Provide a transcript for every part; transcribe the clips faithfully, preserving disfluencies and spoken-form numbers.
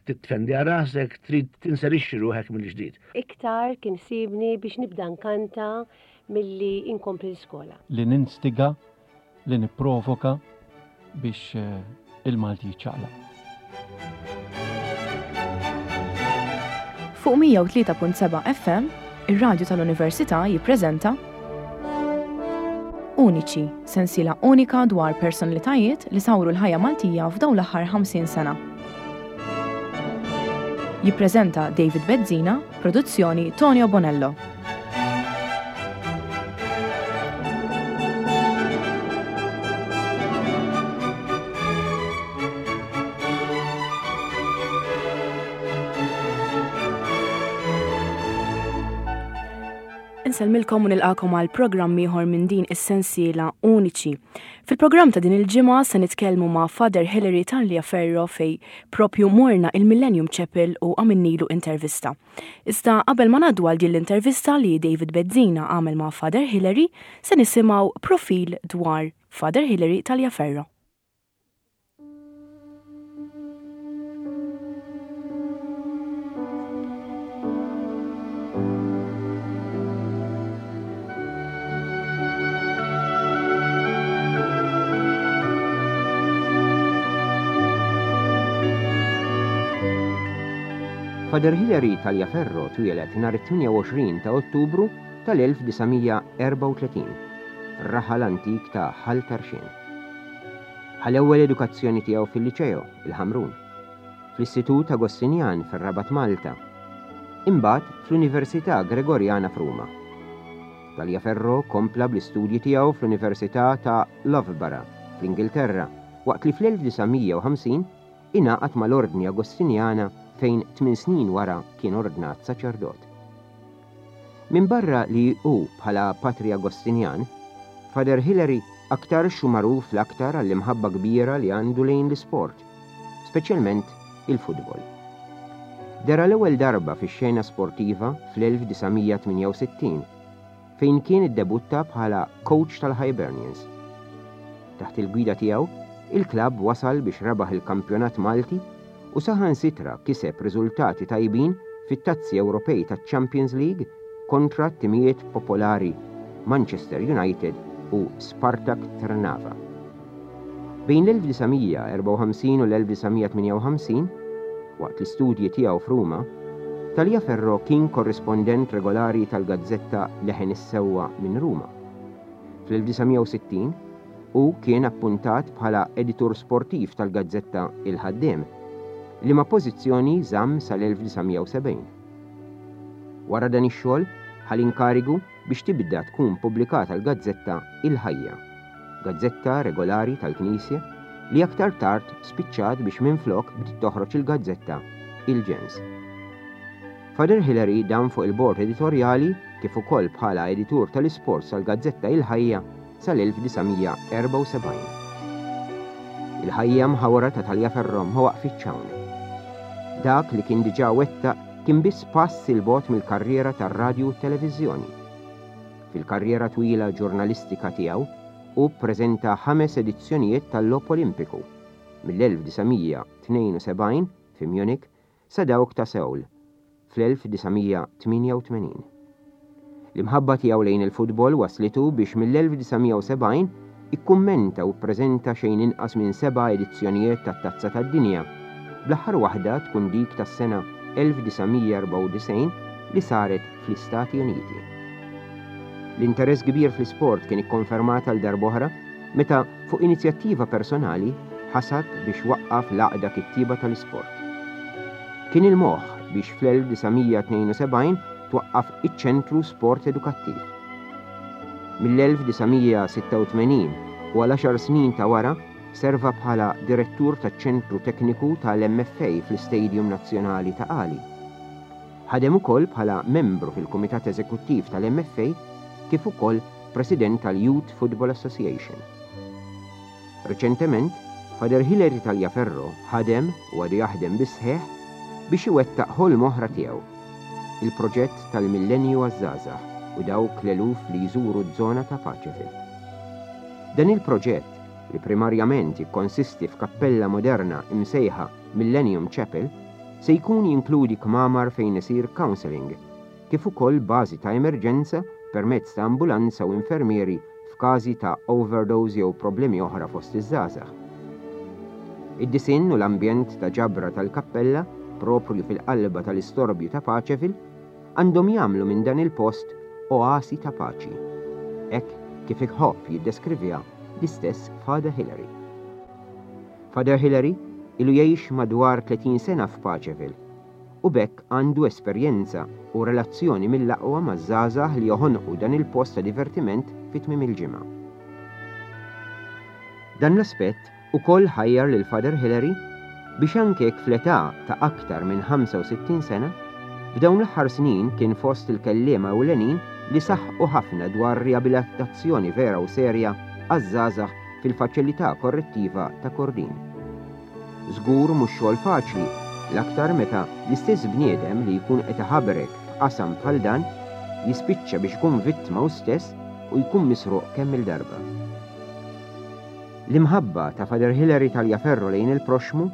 Titfendi għal rasek, trid tinserixxi ruħek mill-ġdid. Iktar kien sibni biex nibda nkanta milli inkompli l-iskola. Li ninstiga, li nipprovoka biex eh, il-Malti jiċċaqlaq. Fuq mija u tlieta punt seba' F M, ir-radju tal-Università jippreżenta Uniċi, sensiela unika dwar personalitajiet li sawru l-ħajja Maltija f'dawn l-aħħar ħamsin sena. Jippreżenta David Bezzina, produzzjoni Tonio Bonello. Insellmilkom u nilqakom għal programm ieħor minn din is-sensiela Uniċi. Fil-programm ta' din il-ġimgħa se nitkellmu ma' Father Hilary Tagliaferro, fej propju morna il-Millennium Chapel u għamilnilu intervista. Iżda qabel ma ngħaddu għal din l-intervista li David Bezzina għamel ma' Father Hilary, se nisimgħu profil dwar Father Hilary Tagliaferro. Father Hilary Tagliaferro twieled nhar it-tmienja u għoxrin ta' Ottubru tal-elf disa' mija erbgħa u tletin fir-raħal antik ta' Ħal Tarxien. Ħa l-ewwel edukazzjoni tiegħu fil-Liċeo, il-Ħamrun, fl-Istitut Agostinjan fir-Rabat Malta, imbagħad fl-Università Gregoriana f'Ruma. Tagliaferro kompla bl-istudji tiegħu fl-Università ta' Loughborough fl-Ingilterra, waqt li fl-elf disa' mija u ħamsin ingħaqad mal-Ordni Agostinjana, fejn tmien snin wara kien ordnat saċerdot. Min barra li hu bħala patri Agostinjan, Father Hilary aktar hu magħruf l-aktar għall-imħabba kbira li għandu lejn l-isport, speċjalment il-futbol. Dera l-ewwel darba fix-xena sportiva fl-elf disa' mija tmienja u sittin, fejn kien iddebutta bħala coach tal-Hibernians. Taħt il-gwida tiegħu, il-klabb wasal biex rebaħ il-kampjonat Malti u saħansitra kiseb riżultati tajbin fit-tazzi Ewropej taċ-Champions League kontra timijiet popolari Manchester United u Spartak Trnava. Bejn l-elf disa' mija erbgħa u ħamsin u l-elf disa' mija tmienja u ħamsin, waqt l-istudji tiegħu f'Ruma, Tagliaferro kien korrispondent regolari tal-gazzetta Leħen is-Sewwa minn Ruma. Fl-elf disa' mija u sittin hu kien appuntat bħala editur sportiv tal-gazzetta Il-Ħaddiem, liema pożizzjoni żamm sal-elf disa' mija u sebgħin. Wara dan ix-xogħol ħa l-inkarigu biex tibda tkun pubblikata l-gazzetta Il-Ħajja, gazzetta regolari tal-Knisja li aktar tard spiċċat biex minflok bdiet toħroġ il-gazzetta Il-Ġens. Father Hilary dam fuq il-bord editorjali kif ukoll bħala editur tal-isports tal-gazzetta Il-Ħajja sal-elf disa' mija erbgħa u sebgħin. Il-ħajja mħawra ta' Tagliaferro ma waqfitx hawn. Dak li kien diġà wettaq kien biss pass 'il bogħod mill-karriera tar-radju u t-televiżjoni. Fil-karriera twila ġurnalistika tiegħu hu ppreżenta ħames edizzjonijiet tal-Logħob Olimpiku mill-elf disa' mija tnejn u sebgħin fi Munich sa dawk ta' Seoul fl-elf disa' mija tmienja u tmenin. L-imħabba tiegħu lejn il-futbol waslitu biex mill-elf disa' mija u sebgħin ikkummenta u ppreżenta xejn inqas minn seba' edizzjonijiet tat-Tazza tad-Dinja, bl-aħħar waħda tkun dik tas-sena elf disa' mija erbgħa u disgħin li saret fl-Istati Uniti. L-interess kbir fl-isport kien ikkonfermat għal darb'oħra meta fuq inizjattiva personali ħasad biex waqqaf l-Għaqda Kittieba tal-Isport. Kien il-moħħ biex fl-elf disa' mija tnejn u sebgħin twaqqaf iċ-Ċentru Sport Edukattiv. Mill-elf disa' mija sitta u tmenin u għal għaxar snin ta' wara serva bħala direttur taċ-Ċentru Tekniku tal-M F A fl-Istadium Nazzjonali Ta' Qali. Ħadem ukoll bħala membru fil-Kumitat Eżekuttiv tal-M F A kif ukoll President tal-Youth Football Association. Reċentement, Father Hilary Tagliaferro ħadem u għadu jaħdem bis-sħiħ biex iwettaq ħolm oħra tiegħu, il-proġett tal-Millenju għaż-żgħażagħ u dawk l-eluf li jżuru z-zona ta' Paċeville. Dan il-proġett, li primarjament jikkonsisti f'kappella moderna imsejħa Millennium Chapel, Se jkun jinkludi kmamar fejn isir counseling, kif ukoll bażi ta' emerġenza permezz ta' ambulanza u infermieri f'każi ta' overdose jew problemi oħra fost iż-żgħażagħ. Id-disinn u l-ambjent ta' ġabra tal-kappella, proprju fil-qalba tal-istorbju ta' Paceville, għandhom jagħmlu minn dan il-post oasi ta' paċi. Hekk kif iħobb jiddeskriviha l-istess Father Hillary. Father Hillary ilu jgħix madwar tletin sena f'Paceville u b'hekk għandu esperjenza u relazzjoni mill-aqwa maż-żgħażagħ li joħonqu dan il-post ta' divertiment fi tmiem il-ġimgħa. Dan l-aspett ukoll ħajjar lil Father Hillary biex anke jekk fl-età ta' aktar minn ħamsa u sittin sena, f'dawn l-aħħar snin kien fost il-kelliema ewlenin li saħqu ħafna dwar riabilitazzjoni vera u serja għaż-żgħażagħ fil-faċilità korrettiva ta' Kordin. Żgur mhux xogħol faċli, l-aktar meta l-istess bniedem li jkun qed iħabrek f'qasam bħal dan jispiċċa biex ikun vittma hu stess u jkun misruq kemm il-darba. L-imħabba ta' Father Hillary Tagliaferro lejn il-proxmu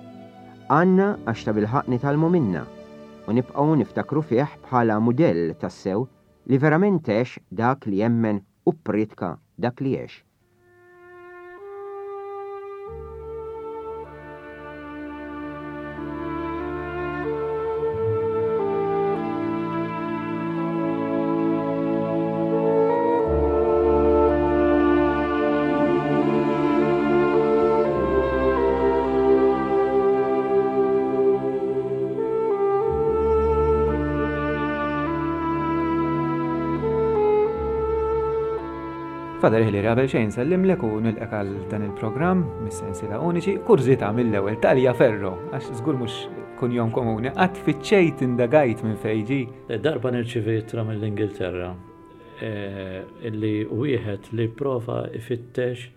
għandna għax ta' bilħaqq nitgħallmu minna u nibqgħu niftakru fih bħala mudell tassew li verament għex dak li jemmen u ppriedka dak li għex. Father Hillary, qabel xejn nsellimlek u nilqek għal dan il-programm mis-sensiela uniċi, kurżità mill-ewwel Tagliaferro, għax żgur mhux kunjom komuni, qatt fittxejt indagajt minn fejn ġie. Darba nirċivi ittra mill-Ingilterra, eh, illi wieħed li prova ifittex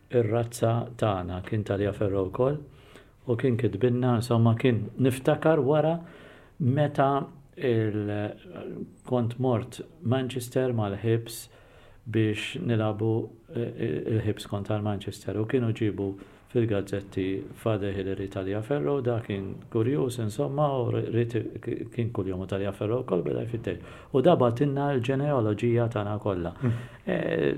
ir-razza tagħna kien Tagliaferro wkoll u kien kitbilna, insomma kien niftakar wara meta il-, kont mort Manchester mal-Hibs biex nilabu, eh, il-Hibs kontra l-Manchester u kienu ġibu fil-gazzetti Father Hillary Tagliaferro, da kien kurjuż insomma u rrit kien kuljum Tagliaferro wkoll beda jfittex. U da batinna l-ġenealoġija tagħna kollha. Mm. Eh,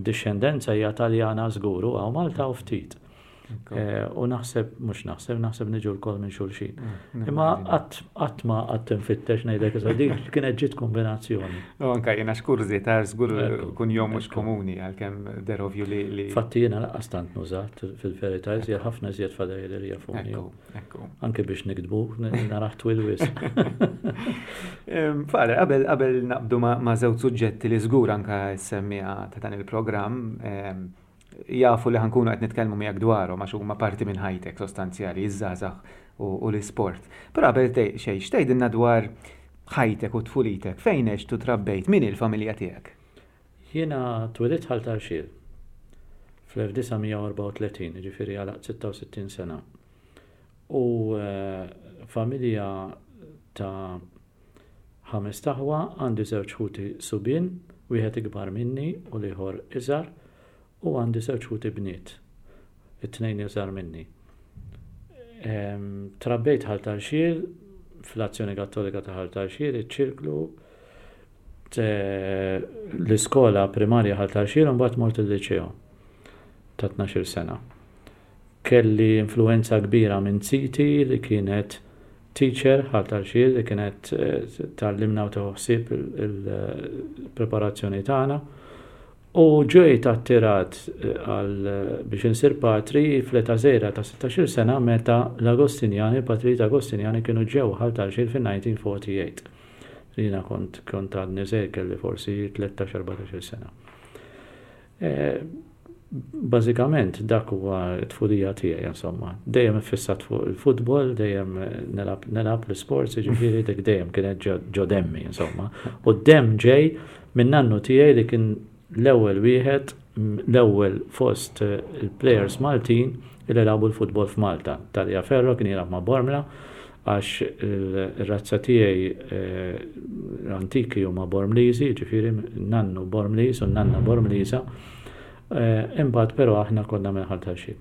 discendenza hija Taljana żgur, u hawn Malta u ftit. Ekku. Eh, u naħseb, mhux naħseb, naħseb niġu lkoll minn xulxin. Mm, Imma mm, qatt, qatt ma qatt infittex ngħidlek issa dik kienet ġiet kombinazzjoni. U anke jiena x'kurżità, żgur Ekku, kunjom mhux ekku. komuni għalkemm derovju li, li Fatti jiena lanqas tant nużat fil-verità, iżjed ħafna iżjed Father Hillary jafuni. Ekku, ekku. Anke biex nikdbu, n-, naraħ twil wisq. Em, Father, qabel, qabel naqbdu ma', ma' żewġ suġġetti li żgur anke s-semmiegħa ta' dan il-programm, em, jafu li ħankunu qed nitkellmu miegħek dwarhom għax huma parti minn ħajtek sostanzjali, iż-żgħażagħ u, u l-isport. Però qabel te-, xejn, x'tgħidilna dwar ħajtek u tfulitek, fejn għext u trabbejt, min il-familja tiegħek? Jiena twelidt Ħal Tarxien fl-elf disa' mija u erbgħa u tletin, jiġifieri għalaqt sitta u sittin sena. U, eh, familja ta' ħames taħwa, għandi żewġ ħuti subien, wieħed ikbar minni u l-ieħor iżgħar, u għandi żewġ ħuti bniet, it-tnejn iżgħar minni. Em, trabbejt Ħal Tarxien, fl-Azzjoni Kattolika ta' Ħal Tarxien, iċ-ċirklu, te-, l-iskola primarja Ħal Tarxien, u mbagħad mort il-liċeo ta' tnax-il sena. Kelli influenza kbira minn ziti li kienet teacher Ħal Tarxien, li kienet, eh, tgħallimna u tieħu ħsieb il-preparazzjoni tagħna. U ġejt attirat, eh, għal, eh, biex insir patri fl-età żgħira ta' sittax-il sena meta l-Agostinjani, il-patrijiet Agostinjani kienu ġew Ħal Tarxien fin-nineteen forty-eight. Jiena kont, kont għadni żgħir, kelli forsi tlettax, erbatax-il sena. Eh, bażikament dak huwa t-tfulija tiegħi, insomma. Dejjem iffissat fuq il-futbol, dejjem nilgħab, nilgħab l-isports, jiġifieri dik dejjem kienet ġo, ġo demmi, insomma. U d-demm ġej minn nannu tiegħi li kien l-ewwel wieħed, l-ewwel fost, eh, il-players Maltin li lagħbu l-futbol f'Malta. Tagliaferro kien jilgħab ma' Bormla, għax il-razza tiegħi, eh, l-antiki huma Bormliżi, jiġifieri nannu Bormliż u nanna Bormliża. Eh, imbagħad però aħna konna minn Ħal Tarxien.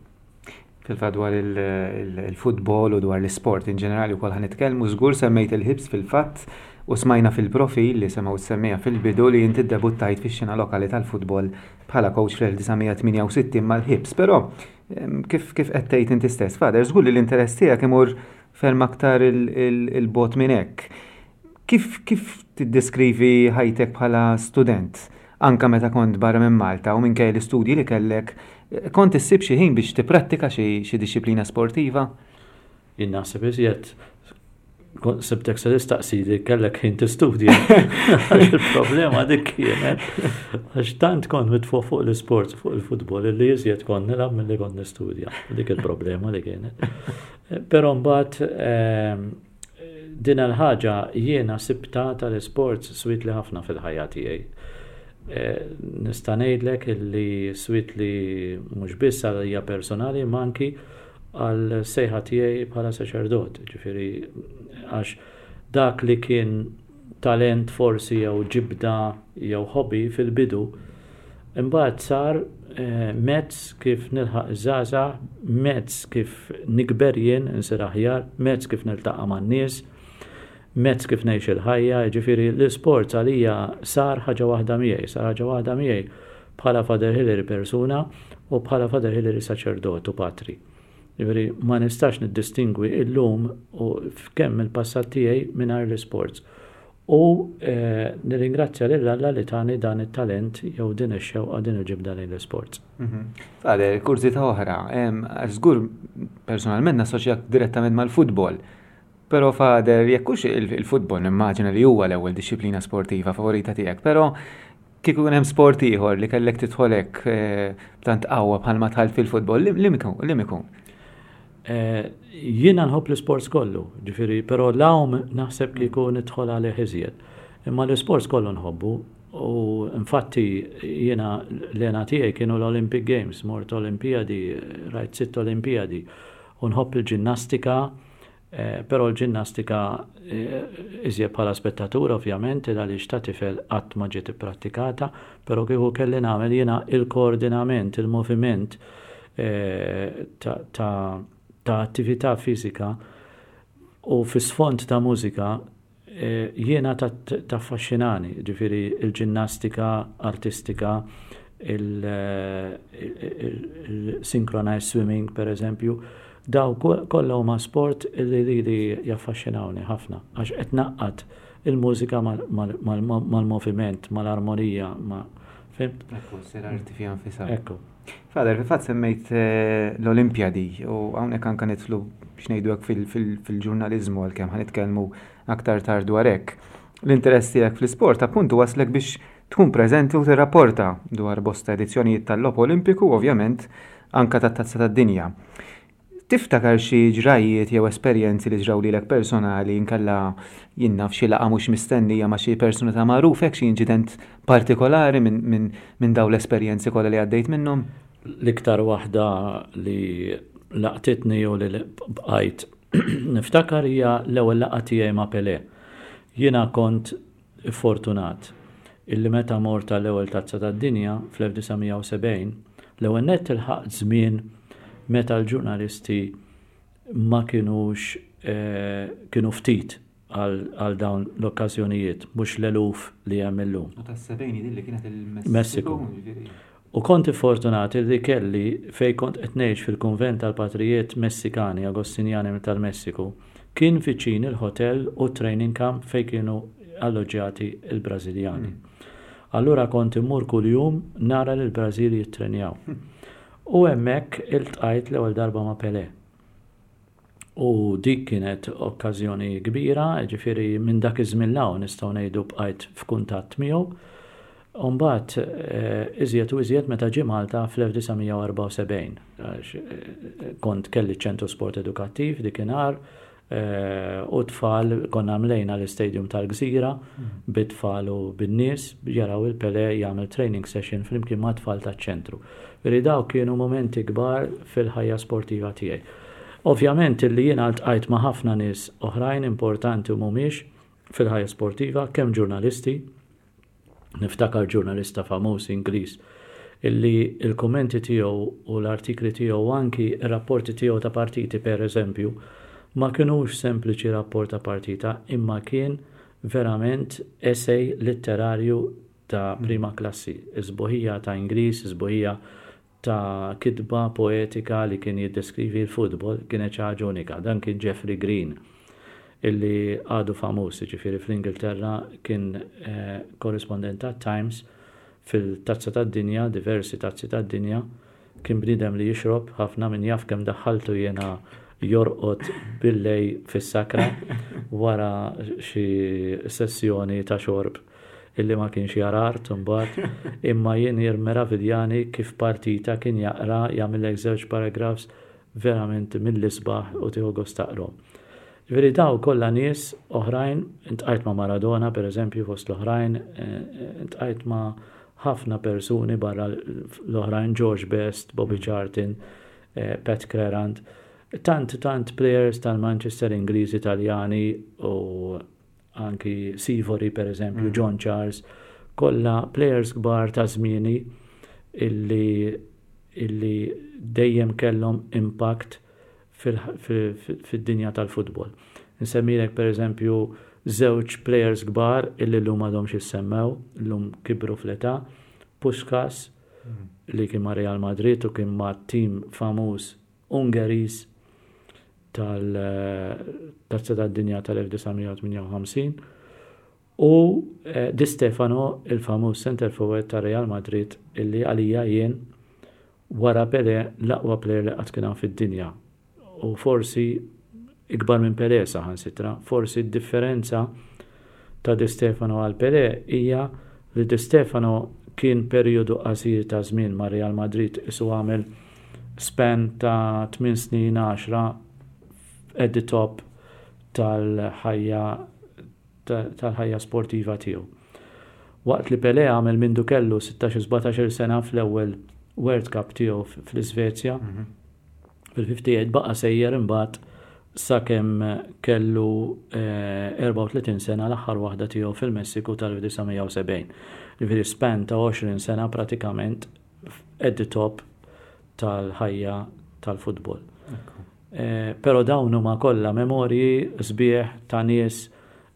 Fil-fatt dwar il-futbol u dwar l-isport in ġenerali wkoll ħa nitkellmu, żgur semmejt il-Hibs fil-fatt u smajna fil-profil li semgħu semmejna fil-bidu li inti debuttajt fix-xena lokali tal-futbol bħala coach fl-elf disa' mija tmienja u sittin mal-Hibs, però kif kif qed tgħid inti stess, Father, żgur li l-interess tiegħek imur ferm aktar il-bogħod minn hekk. Kif kif tiddeskrivi ħajtek bħala student? Anka meta kont barra minn Malta u minkejja l-istudji li kellek, kont issib xi ħin biex tipprattika xi dixxiplina sportiva? Jien naħseb iżjed sibtek se tistaqsi li kellek ħin tistudja. Il-problema dik kienet għax tant kont mitfu fuq l-sport, fuq il-futbol, li iżjed kont nilgħab milli kont nistudja. Dik il-problema li kienet. Però mbagħad ehm, din il-ħaġa jiena sibta tal-sports swietli ħafna fil-ħajja tiegħi. Eh, nista' ngħidlek illi swietli mhux biss għalija personali, ma anki għal sejħa tiegħi bħala saċerdot. Ġifieri għax dak li kien talent forsi jew ġibda jew hobby fil-bidu, imbagħad sar eh, mezz kif nilħaq iż-żgħażagħ, mezz kif nikber jien insir aħjar, mezz kif niltaqa' man-nies, mezz kif ngħix il-ħajja, ġifieri l-isport għalija sar ħaġa waħda miegħi, sar ħaġa waħda miegħi bħala Father Hillary persuna u bħala Father Hillary saċerdot u patri. Ġifieri ma nistax niddistingwi illum u kemm il-passat tiegħi mingħajr l-isports. U eh, nirringrazzja lil Alla li tani dan it-talent jew din ix-xewqa, din il-ġibda lejn l-isports. Mhm. Father, kurżità oħra, żgur personalment nassoċjak direttament mal-futbol. Però, Father, jekk hux il-futbol, nimmaġina li huwa l-ewwel dixxiplina sportiva favorita tiegħek, però kieku hemm sport ieħor li kellek tidħol hekk eh, b'tant qawwa bħalma dħalt fil-futbol, li ikun? Eh, jiena nħobb l-sports kollu, ġifieri, però l-għawm naħseb kieku nidħol għalih iżjed. Imma l-sports kollu nħobbu u infatti jiena l-hena tiegħi kienu l-Olympic Games, mort Olimpiadi, rajt sitt Olimpiadi, u nħobb il-ġinnastika, Eh, però l-ġinnastika eh, iżjed bħala spettatur ovvjament, għaliex ta' tifel qatt ma ġiet ipprattikata, però kieku kelli nagħmel jiena il-koordinament, il-moviment eh, ta' attività fiżika u fi sfond ta' mużika jiena taffaxxinani, ġifieri il-ġinnastika artistika, il-synchronized swimming per eżempju, daw kollha huma sport li li jaffaxxinawni ħafna għax qed ngħaqqad il-mużika mal-moviment, mal-armonija, ma fhimt? Ekku, sir arti fiha nfisha. Ekku. Father, fil-fatt semmejt eh, l-Olimpjadi u hawnhekk anke nidħlu biex ngħidu hekk fil-ġurnaliżmu, għalkemm ħa nitkellmu aktar tard dwar hekk. L-interess tiegħek fl-isport appuntu waslek biex tkun preżenti u tirrapporta dwar bosta edizzjonijiet tal-Logħob Olimpiku, ovvjament anka tat-Tazza tad-Dinja. Tiftakar xi ġrajiet jew esperjenzi li ġraw lilek personali, inkella jien naf xi laqgħa mhux mistennija ma' xi persuna ta' magħruf hekk, xi inċident partikolari minn min, min dawn l-esperjenzi kollha li għaddejt minnhom? L-iktar waħda li laqtitni u li bqajt niftakar hija l-ewwel laqgħa tiegħi ma' Pelé. Jiena kont fortunat illi meta mort l-ewwel Tazza tad-Dinja fl-elf disa' mija u sebgħin, l-ewwel nett ilħaqt żmien meta l-ġurnalisti ma kienux eh, kienu ftit għal dawn l-okkażjonijiet, mhux l-eluf li hemm illum. U tas-sebgħin li kienet il-Messiku. U kont fortunati li kelli fej kont qed ngħix fil-kunvent tal-patrijiet Messikani Agostinjani tal-Messiku, kien viċin il-hotel u training camp fej kienu alloġġjati il-Brażiljani. Mm. Allura kont immur kuljum nara l-Brażili jittrenjaw. U hemmhekk iltqajt l-ewwel darba ma' Pelé. U dik kienet okkażjoni kbira, ġifieri minn dak iż-żmien 'l hawn nistgħu ngħidu bqajt f'kuntatt miegħu. U mbagħad eh, iżjed u iżjed meta ġie Malta fl-elf disa' mija u erbgħa u sebgħin. Eh, kont kelli ċentru sport edukattiv dikinhar eh, u tfal konna mlejna l-istadium tal-Gżira bit-tfal u bin-nies jaraw il-Pele jagħmel training session flimkien ma' tfal taċ-ċentru. Veri daw kienu momenti kbar fil-ħajja sportiva tiegħi. Ovvjament illi jiena ltqajt ma' ħafna nies oħrajn importanti u mhumiex fil-ħajja sportiva, kemm ġurnalisti, niftakar ġurnalista famuż Ingliż Illi il-kommenti tiegħu u l-artikli tiegħu, anki ir-rapporti tiegħu ta' partiti, per eżempju, ma kinux sempliċi rapport ta' partita, imma kien verament essay letterarju ta' prima klassi. Isbuħija ta' Ingliż, isbuħija ta' kitba poetika li kien jiddeskrivi l-futbol kienet ħaġa unika. Dan kien Jeffrey Green, illi għadu famuż, ġifieri fl-Ingilterra kien eh, korrispondent ta' Times fil-tazza tad-dinja, diversi tazzi tad-dinja, kien bniedem li jixrob ħafna, min jaf kemm daħħaltu jena jorqod billejl fis-sakra wara xi sessjoni ta' xorb illi ma kienx jara art imbagħad, imma jien jirmeraviljani kif partita kien jaqra, jagħmellek żewġ paragraphs verament mill-isbaħ u tieħu gost taqrahom. Ġifieri daw kollha nies oħrajn, iltqajt ma' Maradona, per eżempju, fost l-oħrajn, iltqajt ma' ħafna persuni barra l-oħrajn, George Best, Bobby Charlton, eh, Pat Crerand, tant tant players tal-Manchester, Ingliżi, Italjani u anki Sivori, per eżempju, mm. John Charles, kollha players kbar ta' żmieni illi illi dejjem kellhom impact fid-dinja tal-futbol. Nsemmilek, per eżempju, żewġ players kbar illi llum għadhom jissemmew, llum kibru fl-età, Puskas, mm. li kien ma' Real Madrid u kien ma' tim famuż Ungeriż tal-Tazza tad-Dinja tal-elf disa' mija u tmienja u ħamsin, u eh, Di Stefano, il-famuż center forward ta' Real Madrid, illi għalija jien, wara Pele, l-aqwa player li qatt kien fid-dinja. U forsi ikbar minn Pele saħansitra, forsi d-differenza ta' Di Stefano għal Pele hija li Di Stefano kien periodu qasir ta' żmien ma' Real Madrid, isu għamel span ta' tmien snin, għaxra at the top tal-ħajja tal-ħajja sportiva tiegħu. Waqt li Pele għamel mindu kellu sittax sbatax-il sena fl-ewwel World Cup tiegħu fl-Iżvezja mm -hmm. fil-ħamsa u ħamsin, baqa' sejjer imbagħad sakemm kellu eh, erbgħa u tletin sena, l-aħħar waħda tiegħu fil-Messiku tal-elf disa' mija u sebgħin. Ġifieri span ta' għoxrin sena pratikament at the top tal-ħajja tal-futbol. Eh, pero dawn huma kollha memorji sbieħ ta' nies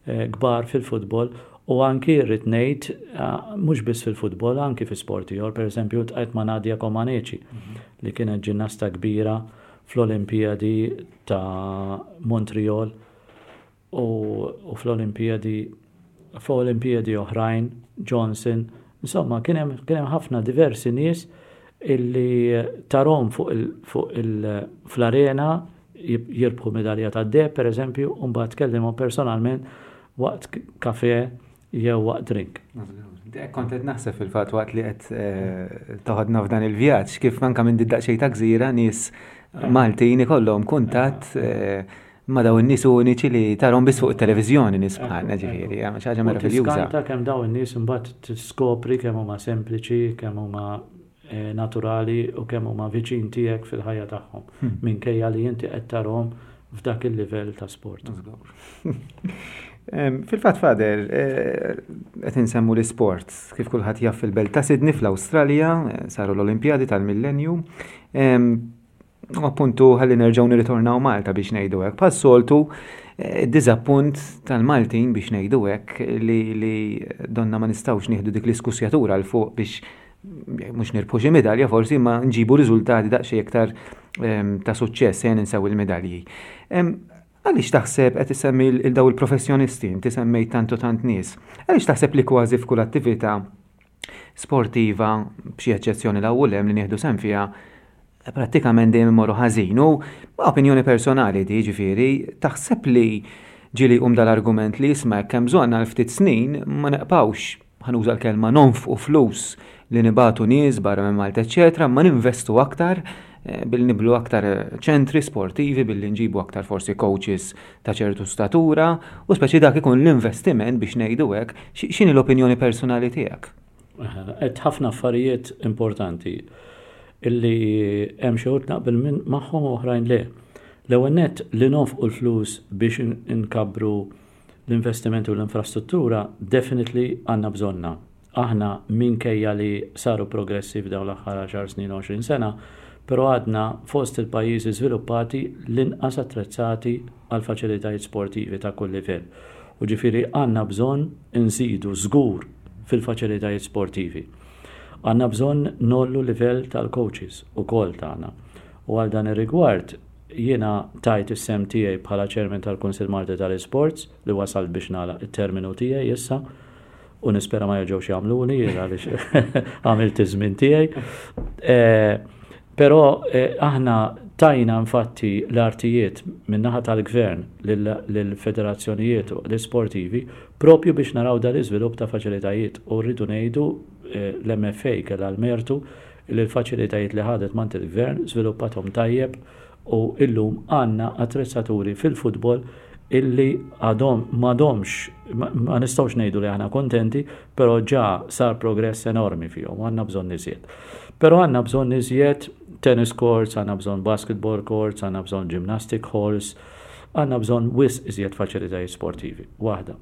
eh, kbar fil-futbol u anki rrid ngħid, eh, mhux biss fil-futbol, anki fi sport ieħor, pereżempju ltqajt ma' Nadia Comaneci, mhm. li kienet ġinnasta kbira fl-Olimpijadi ta' Montreal u, u fl-Olimpijadi fl-Olimpijadi oħrajn, Johnson, insomma kien hemm ħafna diversi nies illi tarahom fuq il, fuq il, fl-arena jirbħu medalja ta' deheb, per eżempju, u mbagħad tkellimhom personalment waqt kafe jew waqt drink. Kont qed naħseb fil-fatt waqt li qed eh, toħodna f'dan il-vjaġġ kif anke minn daqsxejn ta' gżira nies Maltin ikollhom kuntatt eh, ma' daw in-nies uniċi li tarahom biss fuq it-televiżjoni, nies bħalna ġifieri, xi ħaġa meraviljuża. Tiskanta kemm daw in-nies imbagħad tiskopri kemm huma sempliċi, kemm huma Eh, naturali u kemm huma viċin tiegħek fil-ħajja tagħhom hmm. minkejja li inti qed tarahom f'dak il-livell ta' sport. Fil-fatt, Father, eh, qed insemmu l-isport, kif kulħadd jaf, fil-belt ta' Sydney fl-Awstralja eh, saru l-Olimpjadi tal-Millenju. U appuntu ħalli nerġgħu nirritornaw Malta, biex ngħidu hekk. Bħas-soltu diżappunt tal-Maltin, biex ngħidu hekk, li, li donna ma nistgħux nieħdu dik l-iskussjatura 'l fuq biex mhux nirbħu xi medalja forsi, ma nġibu riżultati daqsxejn iktar ta' suċċess, se ninsew il-medalji. Għaliex taħseb, qed isemmi il daw il-professjonisti, inti semmejt tant u tant nies, għaliex taħseb li kważi f'kull attività sportiva, b'xi eċċezzjoni l hemm li nieħdu sehem fiha, prattikament dejjem imorru ħażin? U opinjoni personali di ġifieri, taħseb li ġieli um dal-argument li jisma' hemm bżonn għal ftit snin ma neqpawx, ħa nuża l-kelma, nonfqu flus li nibagħtu nies barra minn Malta, eċetera, ma ninvestu aktar eh, billi nibnu aktar ċentri sportivi, billi nġibu aktar forsi coaches ta' ċertu statura, u speċi dak ikun l-investiment, biex ngħidu hekk? X'inhi l-opinjoni personali tiegħek? Għedt ħafna affarijiet importanti illi hemm xi naqbel minn magħhom u oħrajn le. L-ewwel nett, li nonfqu l-flus biex inkabbru l-investimenti u l-infrastruttura, definitely għandna bżonnha. Aħna minkejja li saru progressi f'dawn l-aħħar għaxar snin, għoxrin sena, però għadna fost il-pajjiżi żviluppati l-inqas attrezzati għal faċilitajiet sportivi ta' kull livell. U ġifieri għandna bżonn inżidu żgur fil-faċilitajiet sportivi. Għandna bżonn ngħollu livell tal-coaches ukoll tagħna. U għal dan ir-rigward jiena tajt is-sehem tiegħi bħala chairman tal-Kunsill Malti tal-Sports li wasal biex nagħlaq it-terminu tiegħi issa u nispera ma jerġgħux jagħmluni għaliex għamilt iż-żmien tiegħi. Eh, però eh, aħna tajna infatti l-artijiet min-naħa tal-gvern lill-federazzjonijiet u l-sportivi propju biex naraw dal-iżvilupp ta' faċilitajiet, u rridu ngħidu eh, l-M F A kellha l-mertu li l-faċilitajiet li ħadet mingħand il-gvern żviluppathom tajjeb u illum għandna attrezzaturi fil-futbol illi għadhom m'għadhomx, ma nistgħux ngħidu li aħna kontenti, però ġa sar progress enormi fihom, għandna bżonn iżjed. Però għandna bżonn iżjed tennis courts, għandna bżonn basketball courts, għandna bżonn gymnastic halls, għandna bżonn wisq iżjed faċilitajiet sportivi. Waħda.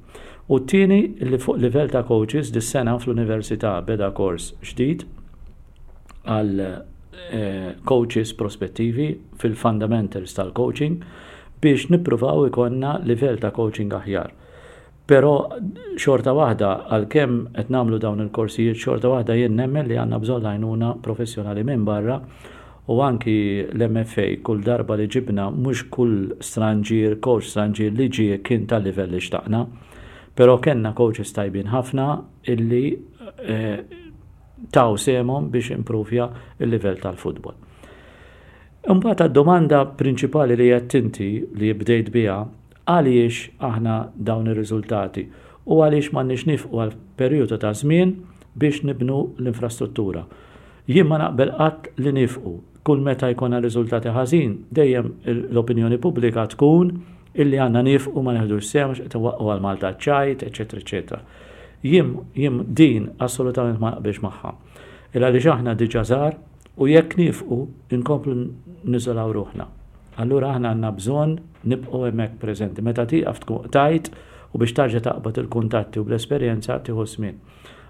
U t-tieni, li fuq livell ta' coaches, dis-sena fl-università beda kors ġdid għal eh, coaches prospettivi fil-fundamentals tal-coaching biex nippruvaw ikollna livell ta' coaching aħjar. Però xorta waħda, għalkemm qed nagħmlu dawn il-korsijiet, xorta waħda jien nemmen li għandna bżonn għajnuna professjonali minn barra u anki l-M F A kull darba li ġibna, mhux kull stranġir, coach stranġir li ġie kien tal-livell li xtaqna, però kellna coaches tajbin ħafna illi eh, taw sehemhom biex improvja il-livell tal-futbol. Imbagħad għad-domanda prinċipali li qed inti li bdejt biha, għaliex aħna dawn ir-riżultati u għaliex m'għandniex nieqfu għal perjodu ta' żmien biex nibnu l-infrastruttura. Jien ma naqbel qatt li nieqfu. Kull meta jkollna riżultati ħażin, dejjem l-opinjoni pubblika tkun illi għandna nieqfu, ma neħdux sehem għax qed waqqu għal Malta ċajt, eċetera, eċetera. Jien jien din assolutament ma naqbilx magħha. Illa li aħna diġà żgħar u jekk nieqfu inkomplu niżolaw ruħna. Allura aħna għandna bżonn nibqgħu hemmhekk preżenti. Meta tieqaf tkun tajt u biex tarġa' taqbad il-kuntatti u bl-esperjenza tieħu żmien.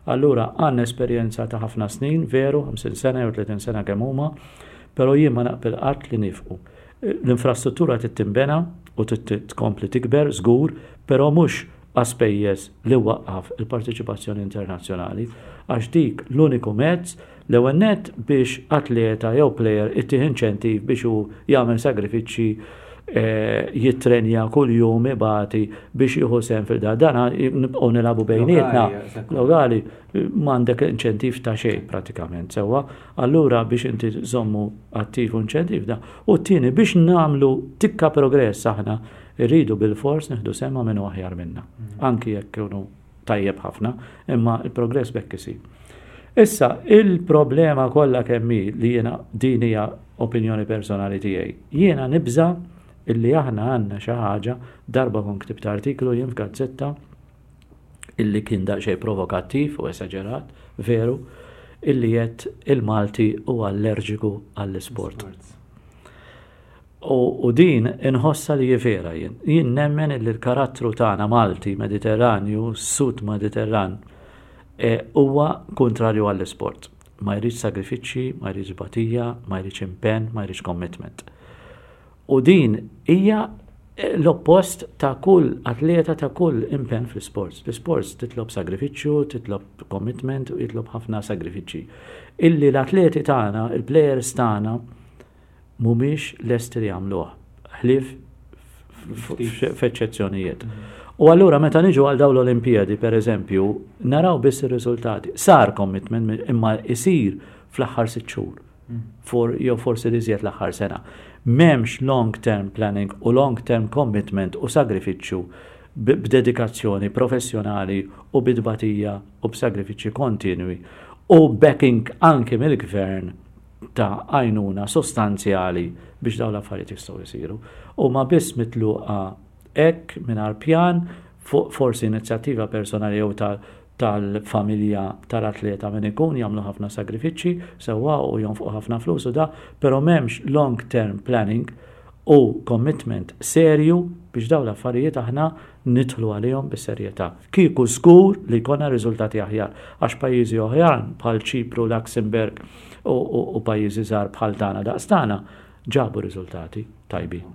Allura għandna esperjenza ta' ħafna snin, veru, ħamsin sena jew tletin sena kemm huma, però jien ma naqbel qatt li nieqfu. L-infrastruttura trid tinbena u tkompli tikber żgur, però mhux għas-spejjeż li waqqaf il-parteċipazzjoni internazzjonali, għax dik l-uniku mezz l-ewwel nett biex atleta jew player ittih inċentiv biex hu jagħmel sagrifiċċji, eh, jittrenja kull jum, ibati biex jieħu sehem fil-da. Dana nibqgħu nilagħbu bejnietna. Lokali, m'għandek inċentiv ta' xejn pratikament, sewwa. Allura biex inti żommu attiv u inċentiv da. U t-tieni, biex nagħmlu tikka progress aħna irridu bil-fors nieħdu sehem minn aħjar minna. Mm. Anki jekk kienu tajjeb ħafna, imma il-progress b'hekk isir. Issa, il-problema kollha kemm li jiena, din hija opinjoni personali tiegħi. Jiena nibża illi aħna għandna xi ħaġa, darba kon ktibt artiklu jien f'gazzetta illi kien daqsxejn provokattiv u esaġerat, veru, illi jett il-Malti huwa allerġiku għall-isport. U, u din inħossa li vera jien. Jien nemmen illi l-karattru tagħna Malti, Mediterranju, Sud Mediterran, e, huwa kontrarju għall-isport. Ma jridx sagrifiċċji, ma jridx batija, ma jridx impenn, ma jridx commitment. U din hija l-oppost ta' kull atleta, ta' kull impenn fl-sports. L-sports titlob sagrifiċċju, titlob commitment u jitlob ħafna sagrifiċċji. Illi l-atleti tagħna, il-players tagħna mhumiex lesti li jagħmluh. Ħlief f'eċċezzjonijiet. U allura meta niġu għal dawn l-Olimpijadi, per eżempju, naraw biss ir-riżultati. Sar commitment, imma isir fl-aħħar sitt xhur. For, jew forsi li l-aħħar sena. M'hemmx long term planning u long term commitment u sagrifiċċju b'dedikazzjoni professjonali u bidbatija u b'sagrifiċċji kontinwi u backing anke mill-gvern ta' għajnuna sostanzjali biex dawn l-affarijiet jistgħu jsiru. U ma biss mitluqa hekk mingħajr pjan, forsi inizjattiva personali jew tal-familja tal-atleta min ikun, jagħmlu ħafna sagrifiċċji sewwa u jonfqu ħafna flus u da, però m'hemmx long term planning. u commitment serju biex dawn l-affarijiet aħna nidħlu għalihom bis-serjetà. Kieku żgur li jkollna riżultati aħjar, għax pajjiżi oħrajn bħal Ċipru, Luxemburg u, u, u pajjiżi żgħar bħal tagħna daqs tagħna ġabu riżultati tajbin.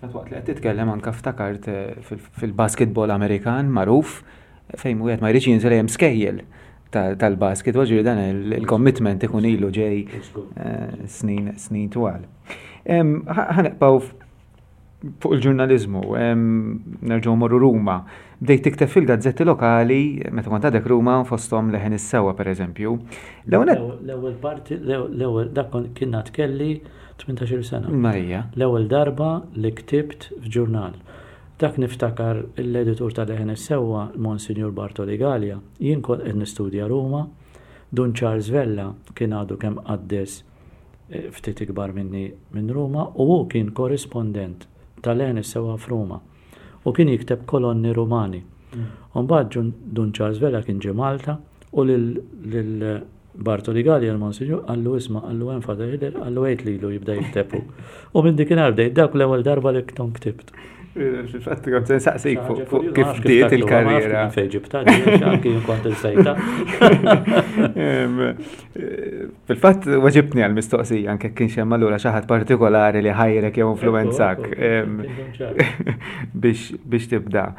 Waqt li qed titkellem anka ftakart eh, fil-basketball Amerikan magħruf, fejn wieħed ma jridx jinżel, hemm skejjel tal-basketball, ġifieri dan il-commitment ikun ilu ġej eh, snin snin twal. Ħa nibqgħu fuq il-ġurnalizmu, nerġgħu morru Ruma. Bdejt tikteb fil-gazzetti lokali meta kont għadek Ruma, fosthom Leħen is-Sewwa, pereżempju. L-ewwel parti, l-ewwel dak kien kelli tmintax-il sena. Marija. L-ewwel darba li ktibt f'ġurnal. Dak niftakar l-editur ta' Leħen is-Sewwa, Monsignor Bartoli Gallia, jien kont qed nistudja Ruma, Dun Charles Vella kien għadu kemm qaddes eh, ftit ikbar minni minn Ruma u hu kien korrispondent tal-Leħen is-Sewwa f'Ruma u kien jikteb kolonni Rumani. U mbagħad Dun Charles Vella kien ġie Malta u lil Bartoli Gallia, l-Monsignor, qallu, "Isma'," qallu, "hemm Father Hiller," qallu, "għid lilu jibda jikteb." U minn dikinhar bdejt, dak l-ewwel darba li kont ktibt. Fil-fatt kont se nsaqsik fuq kif bdiet il-karriera. Fejn ġibta, anki jien kont insejtha. Fil-fatt weġibtni għal-mistoqsija anke kien hemm allura xi ħadd partikolari li ħajrek jew influwenzak biex tibda.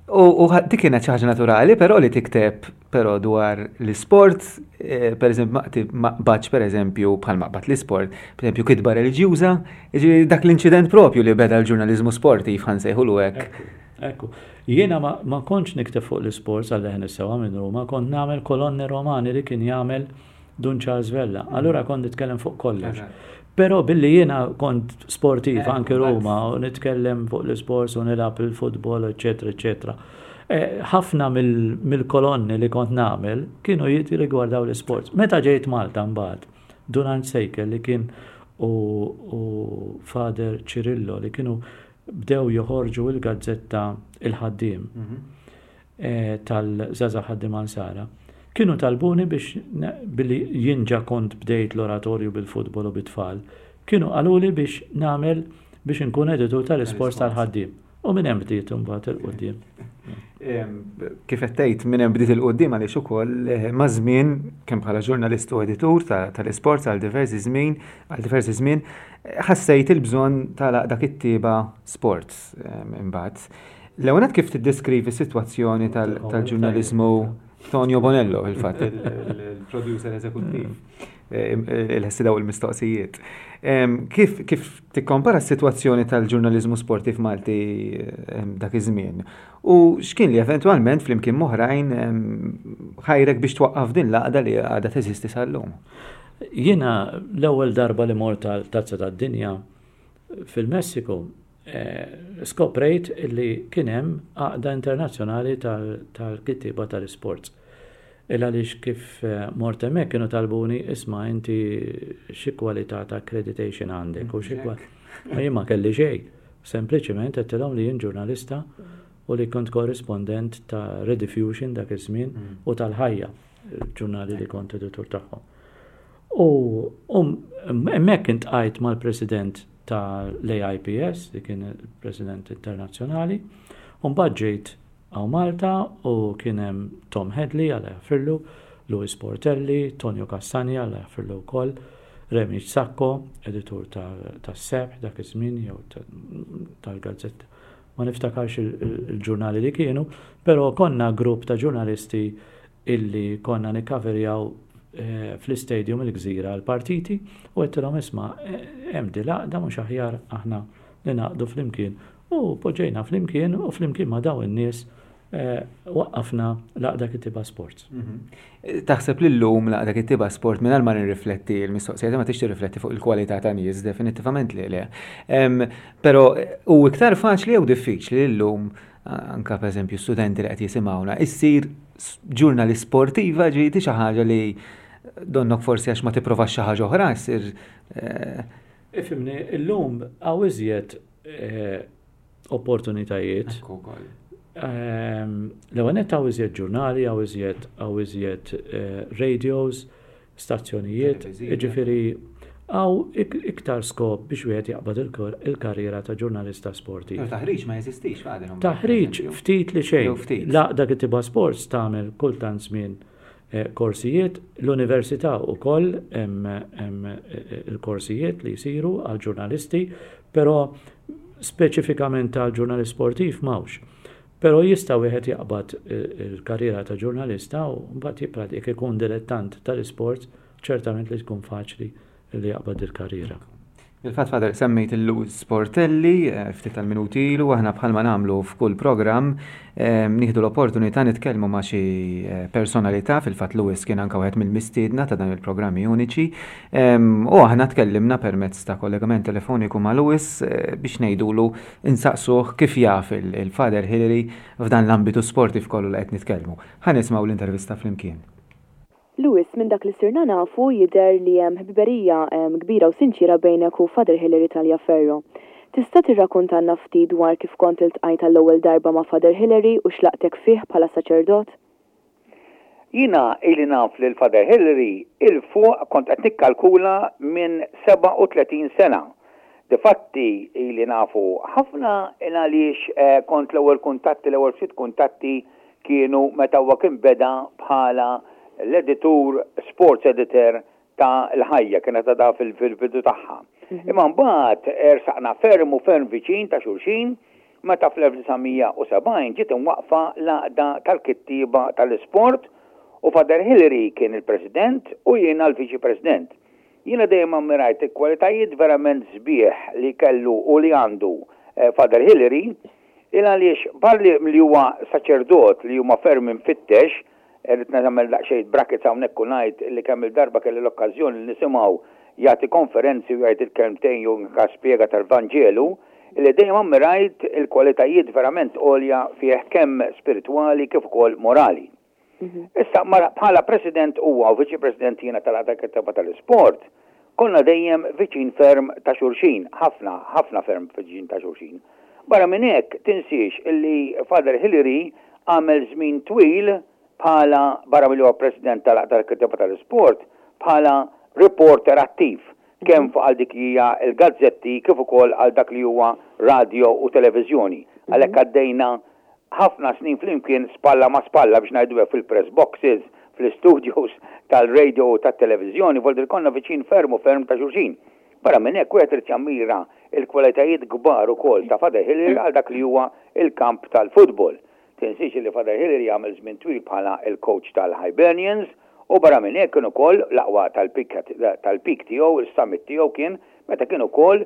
U dik kienet xi ħaġa naturali, però li tikteb però dwar l-isport, eh, per eżempju, ma qbadx, per eżempju, bħal ma qbad l-isport, per eżempju, kitba reliġjuża, dak l-inċident propju li beda l-ġurnalizmu sportiv, ħa nsejħulu hekk. Ekku. Jiena ma, ma kontx nikteb fuq l-isport għal Leħen is-Sewwa minn Ruma, kont nagħmel kolonni Romani li kien jagħmel Dun Charles Vella. Allura kont nitkellem fuq kollox. Però billi jiena kont sportiv anke Ruma u nitkellem fuq l-sports u nilgħab il-futbol, eċetera, eċetera. Eh, ħafna mill-kolonni li kont nagħmel kienu jirrigwardaw l-sports. Meta ġejt Malta mbagħad, Dun Sejkel li kien u, u Father Cirillo li kienu bdew joħorġu il-gazzetta Il-Ħaddiem mm -hmm. tal-Żgħażagħ Ħaddiema Nsara. Kienu talbuni biex, billi jien ġa kont bdejt l-oratorju bil-futbol u bit-tfal, kienu qaluli biex nagħmel, biex nkun editur tal-isports tal-Ħaddiem. U minn hemm bdiet imbagħad 'il quddiem. Kif qed tgħid, minn hemm bdiet 'il quddiem għaliex ukoll eh, ma' żmien, kemm bħala ġurnalist u editur tal-isports għal diversi żmien, għal diversi żmien, ħassejt il-bżonn tal-Għaqda Kittieba Sports imbagħad. L-ewwel, kif tiddeskrivi s-sitwazzjoni tal-ġurnaliżmu? Tonio Bonello, il-fatt, il-producer eżekuttiv, il-ħessi daw il-mistoqsijiet. Kif, kif tikkompara s-sitwazzjoni tal-ġurnaliżmu sportiv Malti dak iż-żmien? U x'kien li eventwalment flimkien m'oħrajn ħajrek biex twaqqaf din l-għaqda li għadha teżisti sal-lum? Jiena l-ewwel darba li mort tal-Tazza tad-Dinja fil-Messiku, eh, skoprejt li kien hemm għaqda internazzjonali tal-kittiba tal-sports. Il għaliex kif eh, mort hemmhekk kienu talbuni, "Isma', inti xi kwalità ta' accreditation għandek u xi Ma jien ma kelli xejn. Sempliċement għedtilhom li jien ġurnalista u li kont korrispondent ta' Rediffusion dak iż-żmien mm. u tal-Ħajja, ġurnali li kont editur tagħhom. U hemmhekk iltqajt mal-president tal-A I P S, li kien il-president internazzjonali, u mbagħad ġejt hawn Malta u kien hemm Tom Hadley, Alla jaħfirlu, Louis Portelli, Tonio Castagna, Alla jaħfirlu wkoll, Remi Sacco, editur tas-Sebħ dak iż-żmien jew tal-gazzetta. Ma niftakarx il-ġurnali li kienu, però konna grupp ta' ġurnalisti illi konna nikkaverjaw eh, fl-istadium il-Gżira l-partiti u għedtilhom, "Isma', eh, hemm din l-għaqda, mhux aħjar aħna li naqdu flimkien?" U poġġejna flimkien u flimkien ma' daw in-nies eh, waqqafna l-Għaqda Kittieba Sports. Mhm. Taħseb li l-lum l-Għaqda Kittieba Sport, minn ma nirrifletti l-mistoqsija, ma tix tirrifletti fuq il-kwalità ta' nies, definitivament li le. Però u iktar faċli jew diffiċli li l-lum, anka per eżempju studenti li qed jisimgħuna, issir ġurnalist sportiva, ġieti xi ħaġa li donnok forsi għax ma tipprovax xi ħaġa oħra ssir? eh, Ifhimni, illum hawn iżjed eh, opportunitajiet. Ehm, l-ewwel nett hawn iżjed ġurnali, hawn iżjed hawn iżjed eh, radios, stazzjonijiet, ġifieri Hawn iktar skop biex wieħed jaqbad il-karriera ta' ġurnalista sportiv. Taħriġ ma jeżistix, Father. Taħriġ ftit li xejn. L-Għaqda Kittieba Sports tagħmel kultant żmien eh, korsijiet, l-università wkoll hemm eh, il-korsijiet li jsiru għal ġurnalisti, però speċifikament għal ġurnalist sportiv m'hawnx. Però jista' wieħed jaqbad eh, il-karriera ta' ġurnalista u mbagħad jippratika ikun dilettant tal-isport, ċertament li tkun faċli li jaqbad il-karriera. Il-fatt, Father, semmejt il-Louis Sportelli, eh, ftit tal-minuti ilu, aħna bħalma nagħmlu f'kull programm, eh, nieħdu l-opportunità nitkellmu ma' xi eh, personalità, fil-fatt Louis kien anka wieħed mill-mistiedna ta' dan il-programmi uniċi, u aħna tkellimna permezz ta' kollegament telefoniku ma' Louis biex ngħidulu insaqsuh kif jaf il-Father Hillary f'dan l-ambitu sportiv kollu li qed nitkellmu. Ħa nisimgħu l-intervista flimkien. Louis, minn dak li sirna nafu jidher li hemm ħbiberija kbira u sinċira bejnek u Father Hillary Taliaferro. Tista' tirrakkontanna ftit dwar kif kont iltqajt għall-ewwel darba ma' Father Hillary u x'laqtek fih bħala saċerdot? Jiena ili naf lil Father Hillary 'il fuq, kont qed nikkalkula, minn sebgħa u tletin sena. Difatti ili nafu ħafna għaliex eh, kont l-ewwel kuntatti, l-ewwel ftit kuntatti kienu meta huwa kien beda bħala l-editur, sports editor ta' l-Ħajja, kienet għadha fil-bidu tagħha. Mhm. Imma mbagħad ersaqna ferm u ferm viċin ta' xulxin meta fl-elf disa' mija u sebgħin ġiet imwaqfa l-Għaqda tal-Kittieba tal-Isport u Father Hillary kien il-president u jiena l-viċi president. Jiena dejjem ammirajt il-kwalitajiet verament sbieħ li kellu u li għandu eh, Father Hillary, il għaliex barra li huwa saċerdot li huma ferm infittex, irrid nagħmel daqsxejn brackets hawnhekk u ngħid li kemm il-darba kelli l-okkażjoni li nisimgħu jagħti konferenzi u jgħid il-kelmtejn jew anka spjega tal-Vanġelu, li dejjem ammirajt il-kwalitajiet verament għolja fih, kemm spiritwali kif ukoll morali. Mhm. Issa bħala president huwa u viċi president jiena tal-Għaqda Kittieba tal-Isport, konna dejjem viċin ferm ta' xulxin, ħafna, ħafna ferm viċin ta' xulxin. Barra minn hekk tinsiex illi Father Hillary għamel żmien twil bħala, barra milli huwa president tal-Għaqda Kittieba tal-Isport, bħala reporter attiv kemm fuq għal dik hija il-gazzetti kif ukoll għal dak li huwa radio u televiżjoni. Għalhekk għaddejna ħafna snin flimkien spalla ma' spalla, biex ngħidu, fil-press boxes, fl-studios tal-radio u tat-televiżjoni, voldir konna viċin ferm u ferm ta' xulxin. Barra minn hekk wieħed irid jammira il-kwalitajiet kbar ukoll ta' Father Hillary għal dak li huwa il-kamp tal-futbol. Tinsiex li Father Hillary għamel żmien twil bħala il-coach tal-Hibernians u barra minn hekk kien ukoll l-aqwa tal-peak tiegħu, il-summit tiegħu kien meta kien ukoll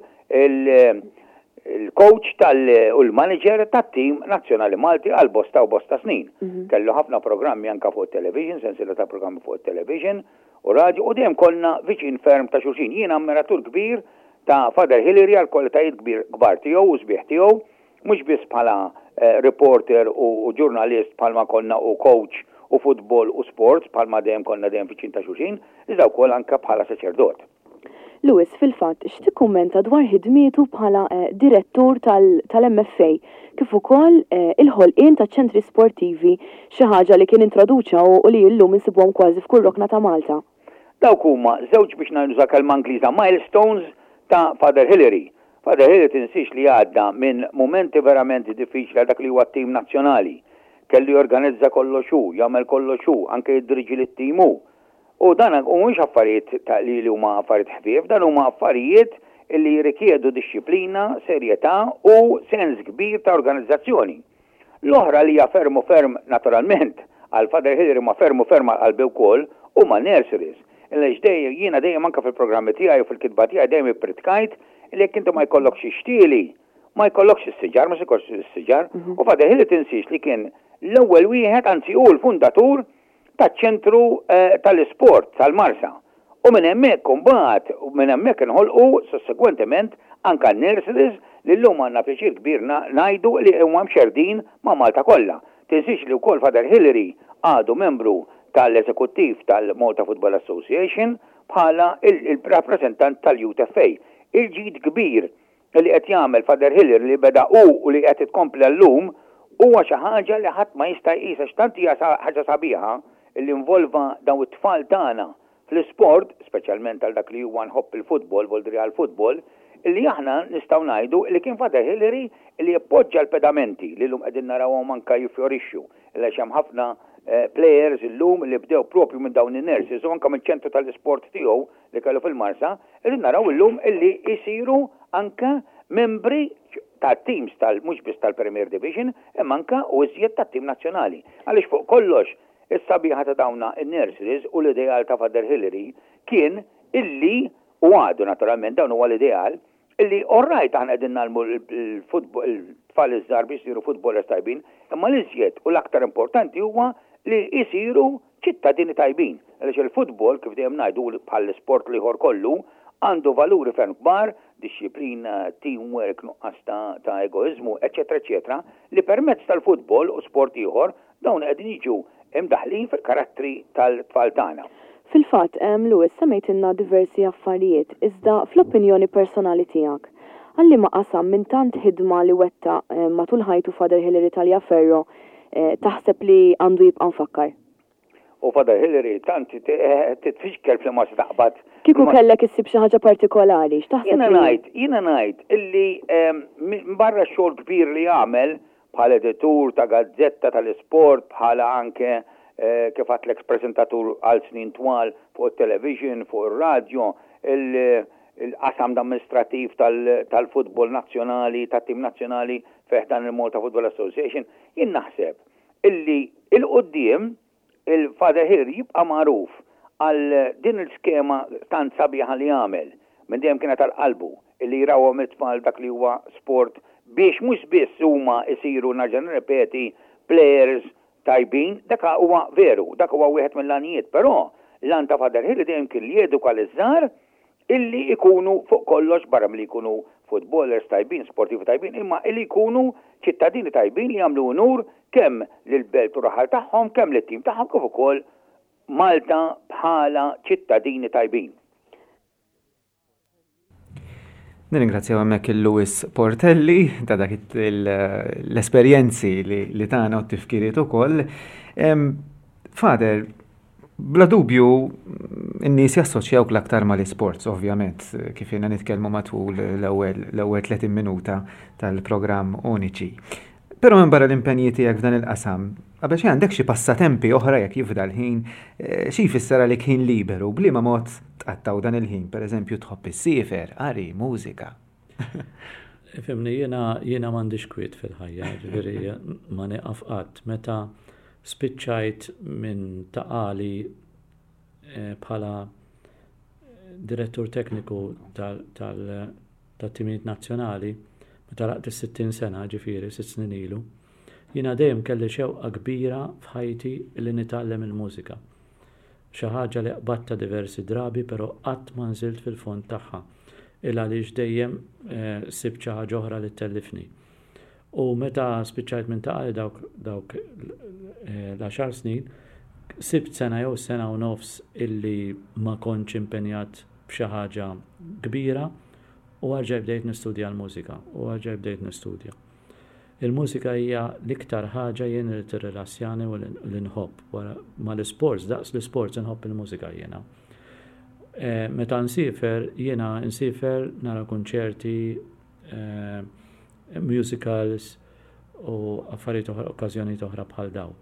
il-coach tal u l-manager tat-tim nazzjonali Malti għal bosta u bosta snin. Mhm. Kellu ħafna programmi anka fuq television, sensiela ta' programmi fuq television u radio, u dejjem konna viċin ferm ta' xulxin. Jiena ammiratur kbir ta' Father Hillary għal kwalitajiet kbir kbar tiegħu u sbieħ tiegħu, mhux biss bħala eh, reporter u ġurnalist bħalma konna u coach u futbol u sports bħalma dejjem konna dejjem viċin ta' xulxin, iżda wkoll anka bħala saċerdot. Louis, fil-fatt, x'tikkummenta dwar ħidmietu bħala eh, direttur tal-M F A kif ukoll eh, il-ħolqien ta' ċentri sportivi, xi ħaġa li kien introduċa u li llum insibuhom kważi f'kull rokna ta' Malta? Dawk huma żewġ, biex nuża kelma Ingliża, milestones ta' Father Hillary. Father Hillary tinsiex li għadda minn momenti verament diffiċli għal dak li huwa tim nazzjonali. Kellu jorganizza kollox hu, jagħmel kollox hu, anke jiddiriġi lit-tim hu. U dan u mhux affarijiet ta' li li huma affarijiet ħfief, dan huma affarijiet li jirrikjedu dixxiplina, serjetà u sens kbir ta' organizzazzjoni. L-oħra li hija ferm u ferm, naturalment għal Father Hillary, ma ferm u ferm għal qalbi wkoll, huma nurseries. Għaliex dejjem jiena dejjem anke fil-programmi tiegħi u fil-kitba tiegħi dejjem ippritkajt li jekk inti ma jkollokx ixtieli, ma jkollokx is-siġar, ma jkollokx is-siġar. Mhm. U Father Hillary tinsiex li kien l-ewwel wieħed, anzi hu l-fundatur taċ-ċentru eh, tal-isport tal-Marsa. U minn hemmhekk imbagħad, u minn hemmhekk inħolqu sussegwentement anka nurseries li llum għandna pjaċir kbir ngħidu li huma mxerdin ma' Malta kollha. Tinsiex li wkoll Father Hillary għadu membru tal-eżekuttiv tal-Malta Football Association bħala il-rappresentant tal-Youth F A. Il-ġid kbir li qed jagħmel Father Hillary, li beda u u li qed itkompli llum, huwa xi ħaġa li ħadd ma jista' jqisha, x'tant hija ħaġa sabiħa li involva dawn it-tfal tagħna fl-isport, speċjalment għal dak li huwa nħobb il-futbol, voldri għal-futbol, illi aħna nistgħu ngħidu li kien Father Hillary li jappoġġa l-pedamenti li llum qegħdin narawhom anke jiffjorixxu. Għaliex hemm ħafna eh, players illum li bdew propju minn dawn in-nurseries u anke mill-ċentru tal-isport tiegħu li kellu fil-Marsa, qegħdin naraw illum illi jsiru anke membri ta' teams tal mhux biss tal-Premier Division, imma anke u iżjed tat-tim nazzjonali. Għaliex fuq kollox is-sabiħa ta' dawna in-nurseries u l-ideal ta' Father Hillary kien illi u għadu naturalment dawn huwa l-ideal illi orrajt aħna qegħdin ngħallmu l-futbol il-tfal iż-żgħar biex isiru footballers tajbin, imma l-iżjed u l-aktar importanti huwa li jsiru ċittadini tajbin. Għaliex il-futbol, kif dejjem ngħidu bħall-isport l-ieħor kollu, għandu valuri ferm kbar, dixxiplina, teamwork, nuqqas ta', ta' egoizmu, eċetera, eċetera, li permezz tal-futbol u sport ieħor dawn qegħdin jiġu imdaħlin fil-karattri tal-tfal tagħna. Fil-fatt, Louis, semmejtilna diversi affarijiet, iżda fl-opinjoni personali tiegħek, għal liema qasam minn tant ħidma li wettaq matul ħajtu Father Hillary Taliaferro eh, taħseb li għandu jibqa' mfakkar? U Father Hillary tant titfixkel fl-ma se taqbad. Kieku kellek issib xi ħaġa partikolari, x'taħseb? Jiena ngħid, jiena ngħid illi barra xogħol kbir li għamel bħala editur ta' gazzetta tal-isport, bħala anke eh, kif għedtlek prezentatur għal snin twal fuq il-television, fuq il-radio, il-qasam amministrativ tal-futbol nazzjonali, tat-tim nazzjonali fi ħdan il-Malta Football Association, jien naħseb illi 'l quddiem il-Father Hillary jibqa' magħruf għal din il-skema tant sabiħa li għamel minn dejjem kienet għal qalbu illi jrawhom it-tfal dak li huwa sport biex mhux biss huma jsiru nerġa' nirrepeti players tajbin, dak huwa veru, dak huwa wieħed mill-għanijiet, però l-għan ta' Father Hillary dejjem kien li jeduka l-żgħar illi ikunu fuq kollox barra milli jkunu footballers tajbin, sportivi tajbin, imma illi jkunu ċittadini tajbin li jagħmlu unur kemm lill-belt u raħal tagħhom, kemm lit-tim tagħhom kif ukoll Malta bħala ċittadini tajbin. Nirringrazzjaw hemmhekk il-Louis Portelli ta' dak l-esperjenzi li tagħna u t-tifkiriet ukoll. Father, bla dubju n-nies jassoċjawk l-aktar mal-isports, ovvjament, kif jiena nitkellmu matul l-ewwel tletin minuta tal-programm Uniċi. Però minn barra l-impenji tiegħek f'dan il-qasam, qabel xi għandek xi passatempi oħra jekk jifdal ħin, eh, xi jfisser għalik ħin liberu, b'liema mod tqattaw dan il-ħin, pereżempju tħobb issiefer, qari, mużika. Ifhimni, jiena jiena m'għandix kwiet fil-ħajja, ġifieri ma nieqaf qatt. Meta spiċċajt minn Ta' Qali eh, bħala direttur tekniku tal-timijiet nazzjonali, meta għalaqt is-sittin sena, ġifieri sitt snin ilu, jiena dejjem kelli xewqa kbira f'ħajti li nitgħallem il-mużika. Xi ħaġa li qbadta diversi drabi, però qatt ma nżilt fil-fond tagħha. Il għaliex dejjem eh, sibt xi ħaġa oħra li tellifni. U meta spiċċajt minn Ta' Qali dawk dawk eh, l-għaxar snin, sibt sena jew sena u nofs illi ma kontx impenjat b'xi ħaġa kbira u għarġaj bdejt nistudja l-mużika u għarġaj bdejt nistudja. Il-mużika hija l-iktar ħaġa jien li tirrilassjani u li nħobb. Wara ma l-sports, daqs l-sports nħobb il-mużika jiena. Eh, meta nsiefer, jiena nsiefer nara konċerti, eh, musicals u affarijiet oħra, okkażjonijiet oħra bħal daw.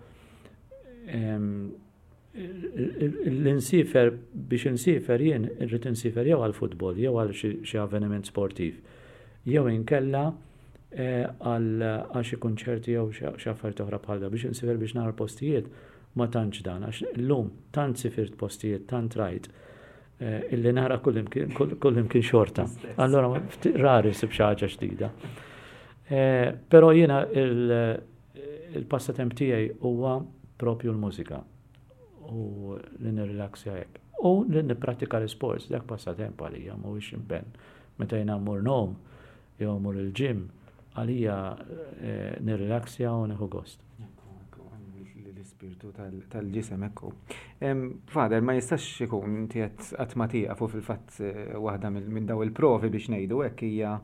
L-insiefer, biex insiefer jien irrid insiefer jew għal futbol, jew għal xi avveniment sportiv, jew inkella eh, għal xi konċerti jew xi affarijiet oħra bħal daw. Biex insiefer biex nara postijiet ma tantx dan, għax illum tant sifirt postijiet, tant rajt, eh, illi nara kullimkien xorta. Allora rari sib xi ħaġa ġdida. Eh, però jiena il-passatemp tiegħi huwa propju l-mużika u li nirrilaxja hekk. U li nippratika l-sports, dak passatemp għalija, mhuwiex impenn. Meta jiena mmur ngħum jew mmur il-gym, għalija eh, nirrilaxja u nieħu gost. L-ispirtu tal-ġisem ekku. Father, ma jistax ikun inti qatt ma tieqaf u fil-fatt eh, waħda minn daw il-provi biex ngħidu hekk hija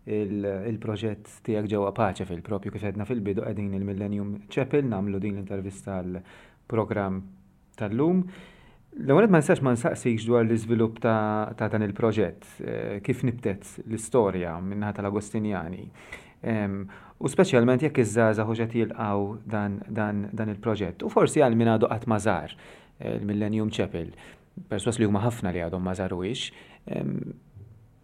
il-proġett tiegħek ġewwa Pace fil-propju kif għedna fil-bidu qegħdin il-Millennium Chapel nagħmlu din l-intervista għall-programm tal-lum. L-ewwel ma nistax ma nsaqsikx dwar l-iżvilupp ta', ta dan il-proġett, eh, kif nibtet l-istorja min-naħa tal-Agostinjani. U speċjalment jekk iż-żgħażagħ hux qed jilqgħu dan, dan, dan il-proġett. U forsi għal min għadu qatt ma żar eh, il-Millennium Chapel, perswas li huma ħafna li għadhom ma żaruhiex,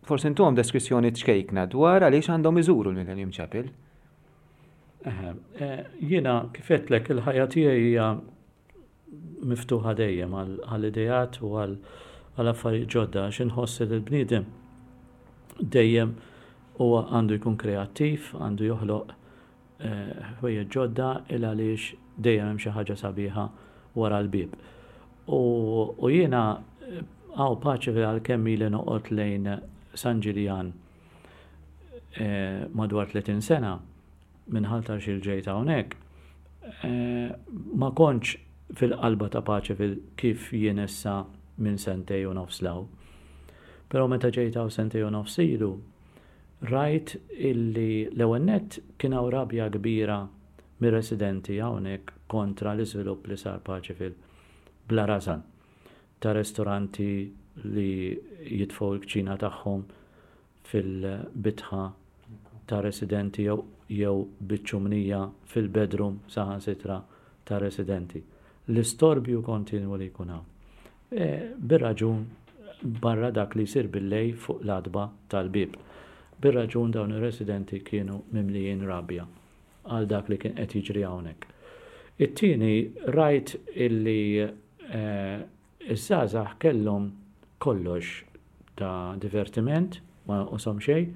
forsi intuhom deskrizzjoni ċkejkna dwar għaliex għandhom iżuru l-Millennium Chapel. Eh, jiena kif għedtlek il-ħajja tiegħi hija miftuħa dejjem għall-ideat u għall affarijiet ġodda għax inħoss li l-bniedem dejjem huwa għandu jkun kreattiv, għandu joħloq eh, ħwejjeġ ġodda il għaliex dejjem hemm xi ħaġa sabiħa wara l-bieb. U jiena hawn Paceville għalkemm ili noqgħod lejn San Ġiljan eh, madwar tletin sena minn Ħal Tarxien ġejt hawnhekk, eh, ma kontx fil-qalba ta' Paceville kif jien issa minn sentej u nofs 'l hawn. Però meta ġejt hawn sentej u nofs ilu, rajt illi l-ewwel nett kien hawn rabja kbira mir-residenti hawnhekk kontra l-iżvilupp li sar Paceville bla rażan ta' restoranti li jitfgħu l-kċina tagħhom fil-bitħa ta' residenti jew jew biċ-ċumnija fil-bedroom saħansitra ta' residenti. L-istorbju kontinwu li jkun hawn. E, bir-raġun barra dak li jsir billejl fuq l-għatba tal-bieb. Bir-raġun dawn ir-residenti kienu mimlijin rabja għal dak li kien qed jiġri hawnhekk. It-tieni rajt illi eh, iż-żgħażagħ kellhom kollox ta' divertiment, ma naqashom xejn,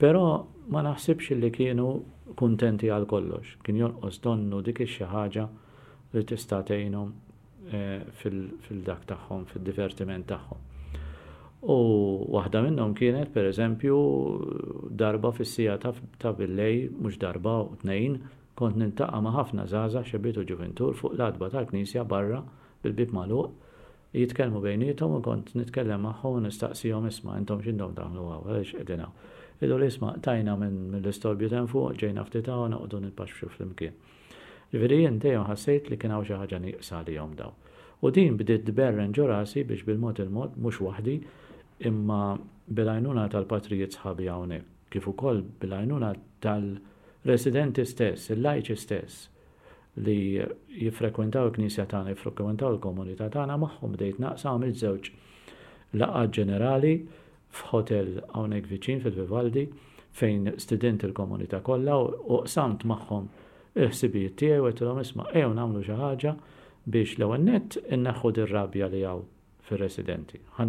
però ma naħsibx li kienu kuntenti għal kollox. Kien jonqos donnu dik ix-xi ħaġa li tista' tgħinhom eh, fil-dak tagħhom, fil-divertiment tagħhom. U waħda minnhom kienet, per eżempju, darba fis-siegħa ta' billejl, mhux darba u tnejn, kont niltaqa' ma' ħafna żgħażagħ xebbiet u ġuvintur fuq l-għatba tal-knisja barra bil-bib magħluq, jitkellmu bejniethom u kont nitkellem magħhom u nistaqsihom isma' intom x'intom tagħmlu hawn, għaliex qegħdin hawn. Jgħidu li isma' tajna minn mill-istorbju t'hemm fuq, ġejna ftit hawn noqogħdu nitpaxxu flimkien. Ġifieri jien dejjem ħassejt li kien hawn xi ħaġa nieqsa għalihom dawn. U din bdiet tberren ġo rasi biex bil-mod il-mod, mhux waħdi, imma bil-għajnuna tal-patrijiet sħabi hawnhekk, kif ukoll bil-għajnuna tal-residenti stess, il-lajċi stess, li jiffrekwentaw il-knisja tagħna, jiffrekwentaw il-komunità tagħna, magħhom bdejt naqsam għamilt żewġ laqgħat ġenerali f'hotel hawnhekk viċin fil-Vivaldi fejn stidint il-komunità kollha u qsamt magħhom il-ħsibijiet tiegħi u għedtilhom isma' ejjew nagħmlu xi ħaġa biex l-ewwel nett inneħħu dir-rabja li hawn fir-residenti. Ħa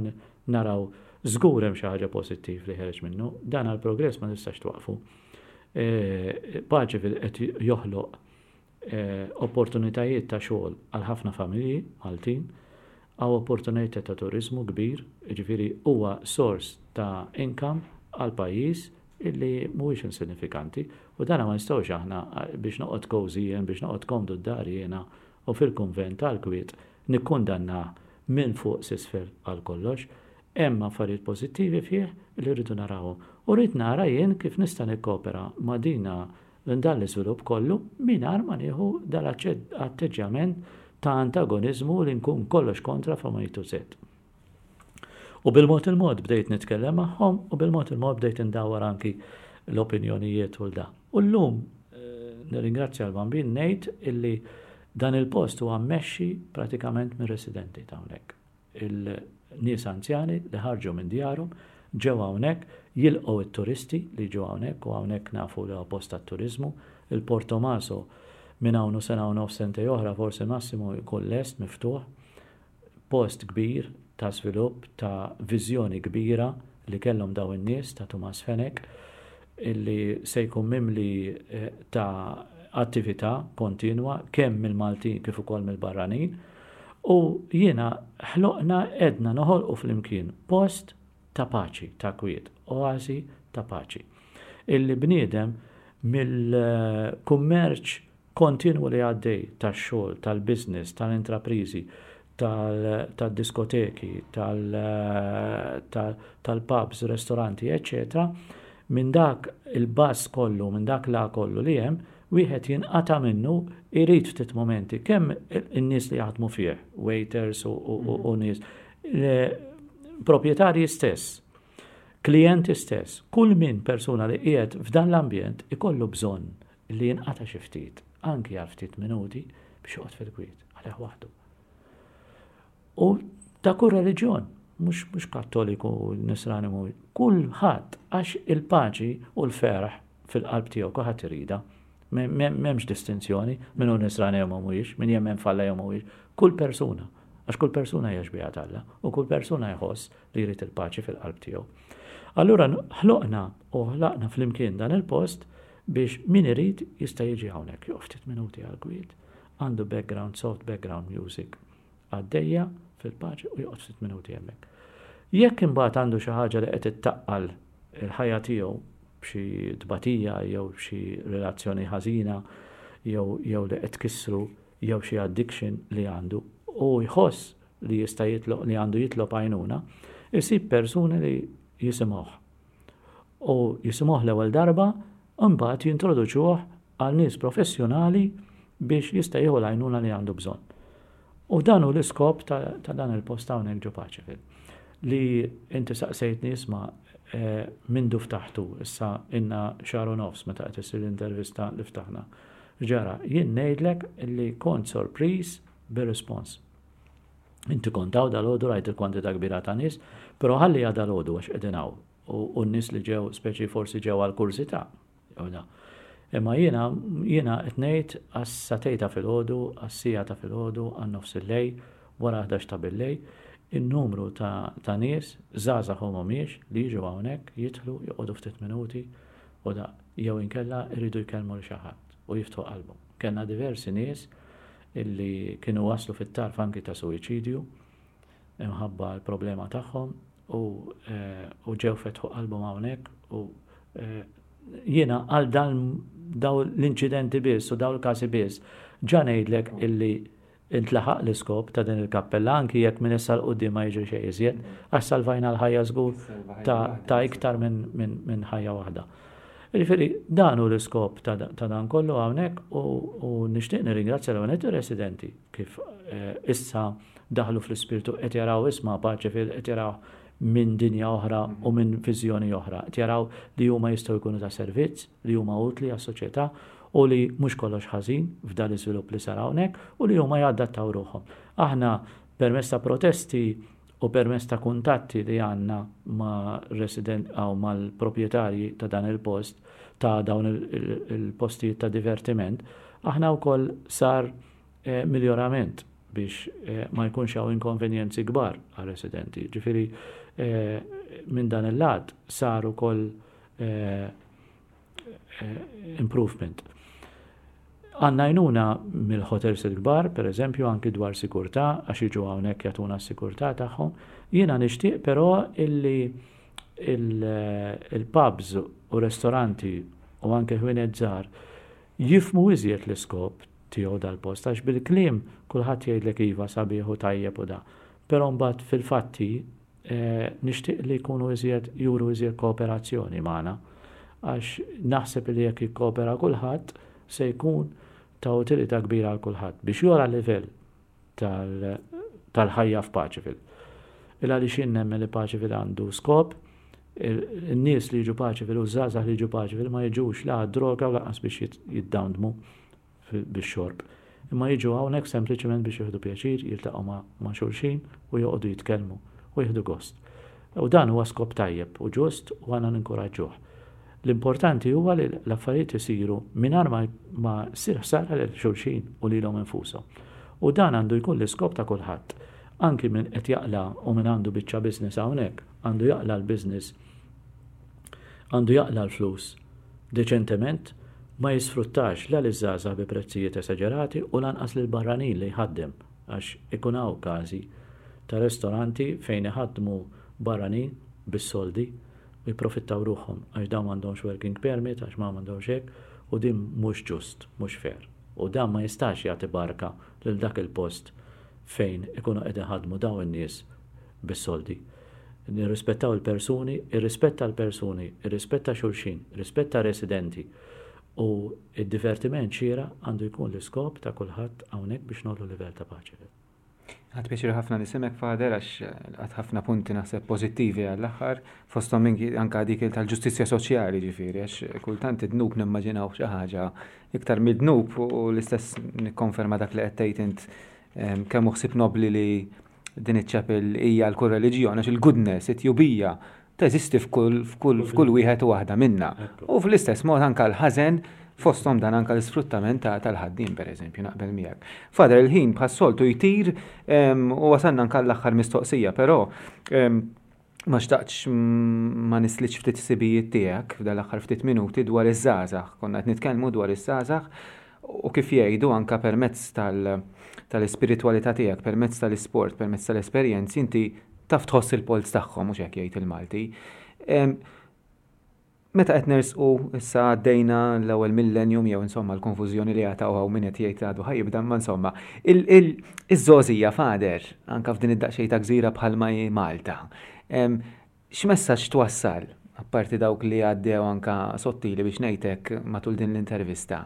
naraw żgur hemm xi ħaġa pożittiv li ħereġ minnu, dan għall-progress ma nistax twaqfu. E, Paceville qed joħloq e, opportunitajiet ta' xogħol għal ħafna familji Maltin, hawn opportunitajiet ta' turizmu kbir, jiġifieri huwa sors ta' income għal pajjiż illi mhuwiex insignifikanti u dana ma nistgħux aħna biex noqgħod cozy jien, biex noqgħod komdu d-dar jiena u fil-kunvent tal-kwiet nikkundanna minn fuq s'isfel għal kollox. Hemm affarijiet pożittivi fih li rridu narawhom. U rrid nara jien kif nista' nikkopera ma' dina dan l-iżvilupp kollu mingħajr ma nieħu dal-atteġġjament ta' antagonizmu li nkun kollox kontra from A to Z. U bil-mod il-mod bdejt nitkellem magħhom u bil-mod il-mod bdejt indawwar anki l-opinjonijiet u l-da. U llum eh, nirringrazzja l-Bambin ngħid illi dan il-post huwa mmexxi pratikament mir-residenti ta' hawnhekk. Il-nies anzjani li ħarġu minn djarhom ġew hawnhekk jilqgħu it-turisti li ġew hawnhekk u hawnhekk nafu li huwa post tat-turiżmu. Il-Portomaso minn hawn u sena u nofs sentej oħra forsi massimu jkun lest miftuħ. Post kbir ta' svilupp, ta' viżjoni kbira li kellhom daw in-nies ta' Tumas Fenech illi se jkun mimli eh, ta' attività kontinwa kemm mill-Maltin kif ukoll mill-barranin u jiena ħloqna edna noħolqu flimkien post ta' paċi, ta' kwiet, oazi ta' paċi. Illi bniedem mill-kummerċ kontinwu li għaddej tax-xogħol, tal-business, tal-intraprizi, tal-diskoteki, tal-pubs, ristoranti, eccetera, Minn dak il-buzz kollu, minn dak la kollu li hemm, wieħed jinqata' minnu, irid ftit momenti, kemm in-nies li jaħdmu fih, waiters u, u, u, u nies, proprjetarji stess, klijenti stess, kull min persuna li qiegħed f'dan l-ambjent ikollu bżonn li jinqata' xi ftit, anki għal ftit minuti, biex joqgħod fil-kwiet, għalih waħdu. U ta' kull reliġjon, mhux mhux Kattoliku, Nisrani, mhux kulħadd, għax il-paċi u l-ferħ fil-qalb tiegħu kulħadd irida. M'hemmx distinzjoni min hu Nisrani jew mhuwiex, min jemmen f'Alla jew mhuwiex, kull persuna, għax kull persuna hija xbieha t'Alla u kull persuna jħoss li jrid il-paċi fil-qalb tiegħu. Allura ħloqna u ħlaqna flimkien dan il-post biex min irid jista' jiġi hawnhekk, joqgħod ftit minuti għal kwiet, għandu background, soft background music għaddejja fil-paċi u joqgħod ftit minuti hemmhekk. Jekk imbagħad għandu xi ħaġa li qed ittaqqal il-ħajja tiegħu b'xi tbatija jew xi relazzjoni ħażina jew jew li qed tkissru jew xi addiction li għandu u jħoss li jista' jitlob, li għandu jitlob għajnuna, isib persuni li jisimgħuh. U jisimgħuh l-ewwel darba, imbagħad jintroduċuh għal nies professjonali biex jista' jieħu l-għajnuna li għandu bżonn. U dan hu l-iskop ta', ta dan il-post hawnhekk ġo Paceville. Li inti saqsejtni, isma', eh, mindu ftaħtu, issa inna xahar u nofs meta qed issir l-intervista li ftaħna. Ġara, jien ngħidlek li kont sorpriż bir-respons. Inti kont hawn dalgħodu, rajt il-kwantità kbira ta' nies, però ħalli dalgħodu għax qegħdin hawn u n-nies li ġew speċi forsi ġew għal kurżità. Imma jiena jiena qed ngħid għas-sagħtejn ta' filgħodu, għas-siegħa ta' filgħodu, għan-nofs il-lejl, wara ħdax ta' billejl, in-numru ta', ta nies, żgħażagħ u mhumiex, li jiġu hawnhekk, jidħlu, joqogħdu ftit minuti u da jew inkella jridu jkellmu lil xi ħadd u jiftħu qalbhom. Kellna diversi nies illi kienu waslu fit-tarf anki ta' suwiċidju imħabba l-problema tagħhom u, eh, u ġew fetħu qalbhom hawnhekk u eh, jiena għal dan daw l-inċidenti biss u daw l-każi biss ġa ngħidlek illi intlaħaq l-iskop ta' din il-kappella, anki jekk minn issa 'l quddiem ma jiġri xejn iżjed, għax salvajna l-ħajja żgur ta', ta iktar minn min, min ħajja waħda. Jiġifieri dan hu l-iskop ta', ta dan kollu hawnhekk u, u nixtieq nirringrazzja l ir-residenti kif eh, issa daħlu fl-ispirtu, qed jaraw, isma', Paceville qed jaraw minn dinja oħra u minn viżjoni oħra. Qed jaraw li huma jistgħu jkunu ta' servizz, li huma utli għas-soċjetà u li mhux kollox ħażin f'dan l-iżvilupp li sar hawnhekk u li huma jadattaw ruħhom. Aħna permezz ta' protesti u permezz ta' kuntatti li għandna ma' resident aw mal-proprjetarji ta' dan il-post, ta' dawn il-postijiet ta' divertiment, aħna wkoll sar eh, miljorament biex eh, ma jkunx hawn inkonvenjenzi kbar għal-residenti. Ġifieri eh, minn dan il-lat sar ukoll eh, eh, improvement. Għandna għajnuna mill-hotels il-kbar, per eżempju, anki dwar sikurtà, għax jiġu hawnhekk jagħtuna s-sikurtà tagħhom. Jiena nixtieq però illi il-pubs u ristoranti u anke ħwienet żgħar jifhmu iżjed l-iskop tiegħu dal-post, għax bil-kliem kulħadd jgħidlek iva, sabiħ u tajjeb u da. Però mbagħad fil-fatti eh, nixtieq li jkunu iżjed, juru iżjed kooperazzjoni magħna, għax naħseb li jekk jikkoopera kulħadd se jkun ta' utilità kbira għal kulħadd biex jogħla livell tal-ħajja f'Paceville. Il għaliex jien nemmen li Paceville għandu skop, il-nies li jiġu Paceville u żgħażagħ li jiġu Paceville ma jiġux la droga u lanqas biex jiddawndmu bix-xorb. Imma jiġu hawnhekk sempliċement biex jieħdu pjaċir, jiltaqgħu ma' xulxin u joqogħdu jitkellmu u jieħdu gost. U dan huwa skop tajjeb u ġust u għandna ninkoraġġuh. L-importanti huwa li l-affarijiet isiru mingħajr ma, ma ssir ħsara lil xulxin u lilhom infushom. U dan għandu jkun l-iskop ta' kulħadd. Anki min qed jaqla u min għandu biċċa business hawnhekk, għandu jaqla l-business, għandu jaqla l-flus deċentement, ma jisfruttax la l-żgħażagħ bi prezzijiet esaġerati u lanqas lil barranin li jħaddem, għax ikun hawn każi ta' ristoranti fejn iħaddmu barranin bis-soldi u jipprofittaw ruħhom għax dawn m'għandhomx working permit, għax ma m'għandhomx hekk, u din mhux ġust, mhux fair. U dan ma jistax jagħti barka lil dak il-post fejn ikunu qed iħaddmu dawn in-nies bis-soldi. Nirrispettaw il-persuni, irrispetta l-persuni, irrispetta xulxin, irrispetta residenti. U id-divertiment xieraq għandu jkun l-iskop ta' kulħadd hawnhekk biex ngħollu livell ta' paċi. Ħadt pjaċir ħafna nismgħek, Father, għax għedt ħafna punti naħseb pożittivi għall-aħħar, fosthom anka dik tal-ġustizzja soċjali ġifieri, għax kultant id-dnub nimmaġinaw xi ħaġa iktar mid-dnub u l-istess nikkonferma dak li qed tgħid int kemm ħsieb nobli li din iċ-chapel hija l kull reliġjon, għax il-goodness, it-tjubija teżisti f'kull f'kull wieħed u waħda minna. U fl-istess mod anka l-ħażen, fosthom dan anka l-isfruttament tal-ħaddiem, per eżempju, naqbel miegħek. Father, il-ħin bħas-soltu jtir u wasalna anka l-aħħar mistoqsija, però ma xtaqtx ma nislitx ftit ħsibijiet tiegħek f'dal-aħħar ftit minuti dwar iż-żgħażagħ. Konna qed nitkellmu dwar iż-żgħażagħ u kif jgħidu anka permezz tal-ispiritwalità tiegħek, permezz tal-isport, permezz tal-esperjenzi, inti taf tħoss il-polz tagħhom, mhux hekk jgħid il-Malti. Meta qed nersqu issa għaddejna l-ewwel millennium jew insomma l-konfużjoni li għataw hawn min qed jgħid għadu ħa jibda, ma insomma iż-żgħożija, Father, anka f'din id-daqsxejn ta' gżira bħalma hi Malta. X'messaġġ twassal, apparti dawk li għaddew anka sottili biex ngħidlek matul din l-intervista,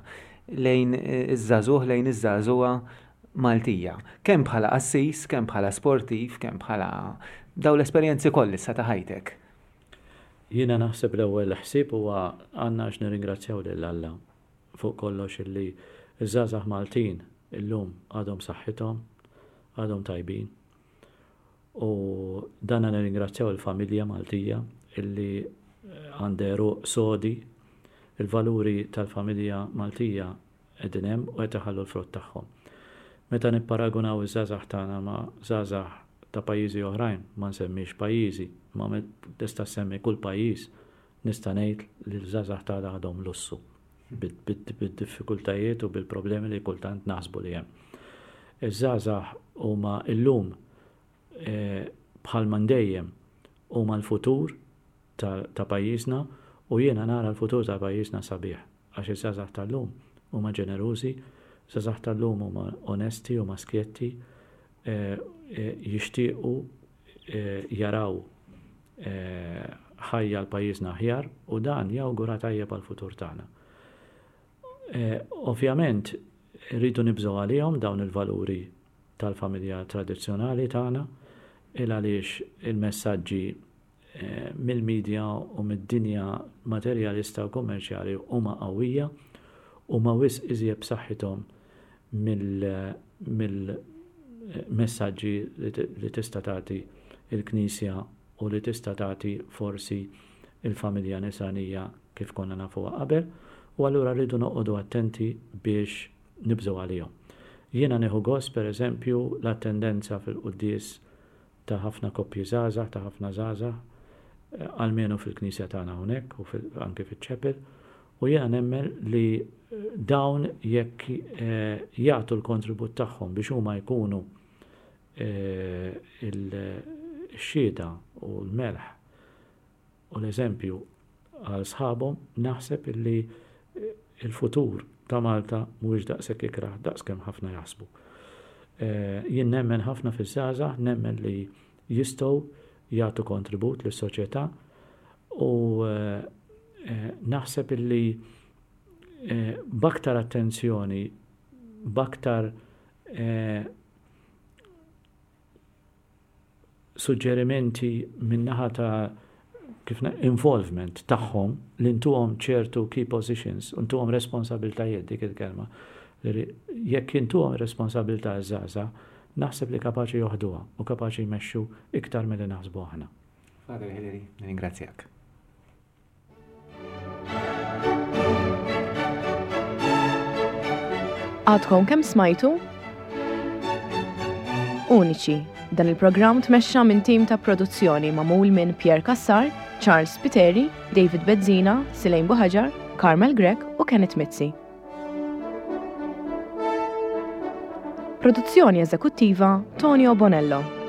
lejn iż-żagħżugħ, lejn iż-żagħżugħa Maltija? Kemm bħala qassis, kemm bħala sportiv, kemm bħala daw l-esperjenzi kollha issa ta' ħajtek? Jiena naħseb l-ewwel ħsieb huwa għandna għax nirringrazzjaw lil Alla fuq kollox illi ż-żgħażagħ Maltin illum għadhom saħħithom, għadhom tajbin. U dan nirringrazzjaw il-familja Maltija illi għandha għeruq sodi, il-valuri tal-familja Maltija qegħdin hemm u qed iħallu l-frott tagħhom. Meta nipparagunaw iż-żgħażagħ tagħna ma' żgħażagħ ta' pajjiżi oħrajn, ma nsemmix pajjiżi, ma tista' semmi kull pajjiż, nista' ngħid li l-żgħażagħ tagħna għadhom lussu bid-diffikultajiet u bil-problemi li kultant naħsbu li hemm. Iż-żgħażagħ huma illum bħal dejjem huma l-futur ta' pajjiżna u jiena nara l-futur ta' pajjiżna sabiħ għax iż-żgħażagħ tal-lum huma ġenerużi, żgħażagħ tal-lum huma onesti, huma skjetti, jixtiequ jaraw ħajja l-pajjiżna aħjar u dan jawgura tajjeb għal-futur tagħna. Ovvjament rridu nibżgħu għalihom dawn il-valuri tal-familja tradizzjonali tagħna il għaliex il-messaġġi mill-medja u mid-dinja materjalista u kummerċjali huma qawwija u ma wisq iżjed b'saħħithom mill messaġġi li tista' tagħti il-Knisja u li tista' tagħti forsi il-familja nisranija kif konna nafuha qabel, u allura rridu noqogħdu attenti biex nibżgħu għalihom. Jiena nieħu gost pereżempju l-attendenza fil-quddies ta' ħafna koppji żgħażagħ, ta' ħafna żgħażagħ, almenu fil-Knisja tagħna hawnhekk u anke fiċ-chapel, u jiena nemmen li dawn jekk jagħtu l-kontribut tagħhom biex huma jkunu il-xhieda u l-melħ u l-eżempju għal sħabhom, naħseb illi il-futur ta' Malta mhuwiex daqshekk ikrah daqskemm ħafna jaħsbu. Jien nemmen ħafna fiż-żgħażagħ, nemmen li jistgħu jagħtu kontribut lis-soċjetà u naħseb illi b'aktar attenzjoni, b'aktar suġġerimenti min-naħa ta' kif involvement tagħhom li ntuhom ċertu key positions, ntuhom responsabiltajiet, dik il-kelma. Jekk intuhom responsabilità żgħażagħ, naħseb li kapaċi joħduha u kapaċi jmexxu iktar milli naħsbu aħna. Father Hilary, nirringrazzjak. Għadkom kemm smajtu? Uniċi. Dan il-programm tmexxa minn tim ta' produzzjoni magħmul minn Pierre Cassar, Charles Spiteri, David Bezzina, Silejn Buħaġar, Carmel Grech u Kenneth Mizzi. Produzzjoni eżekuttiva Tonio Bonello.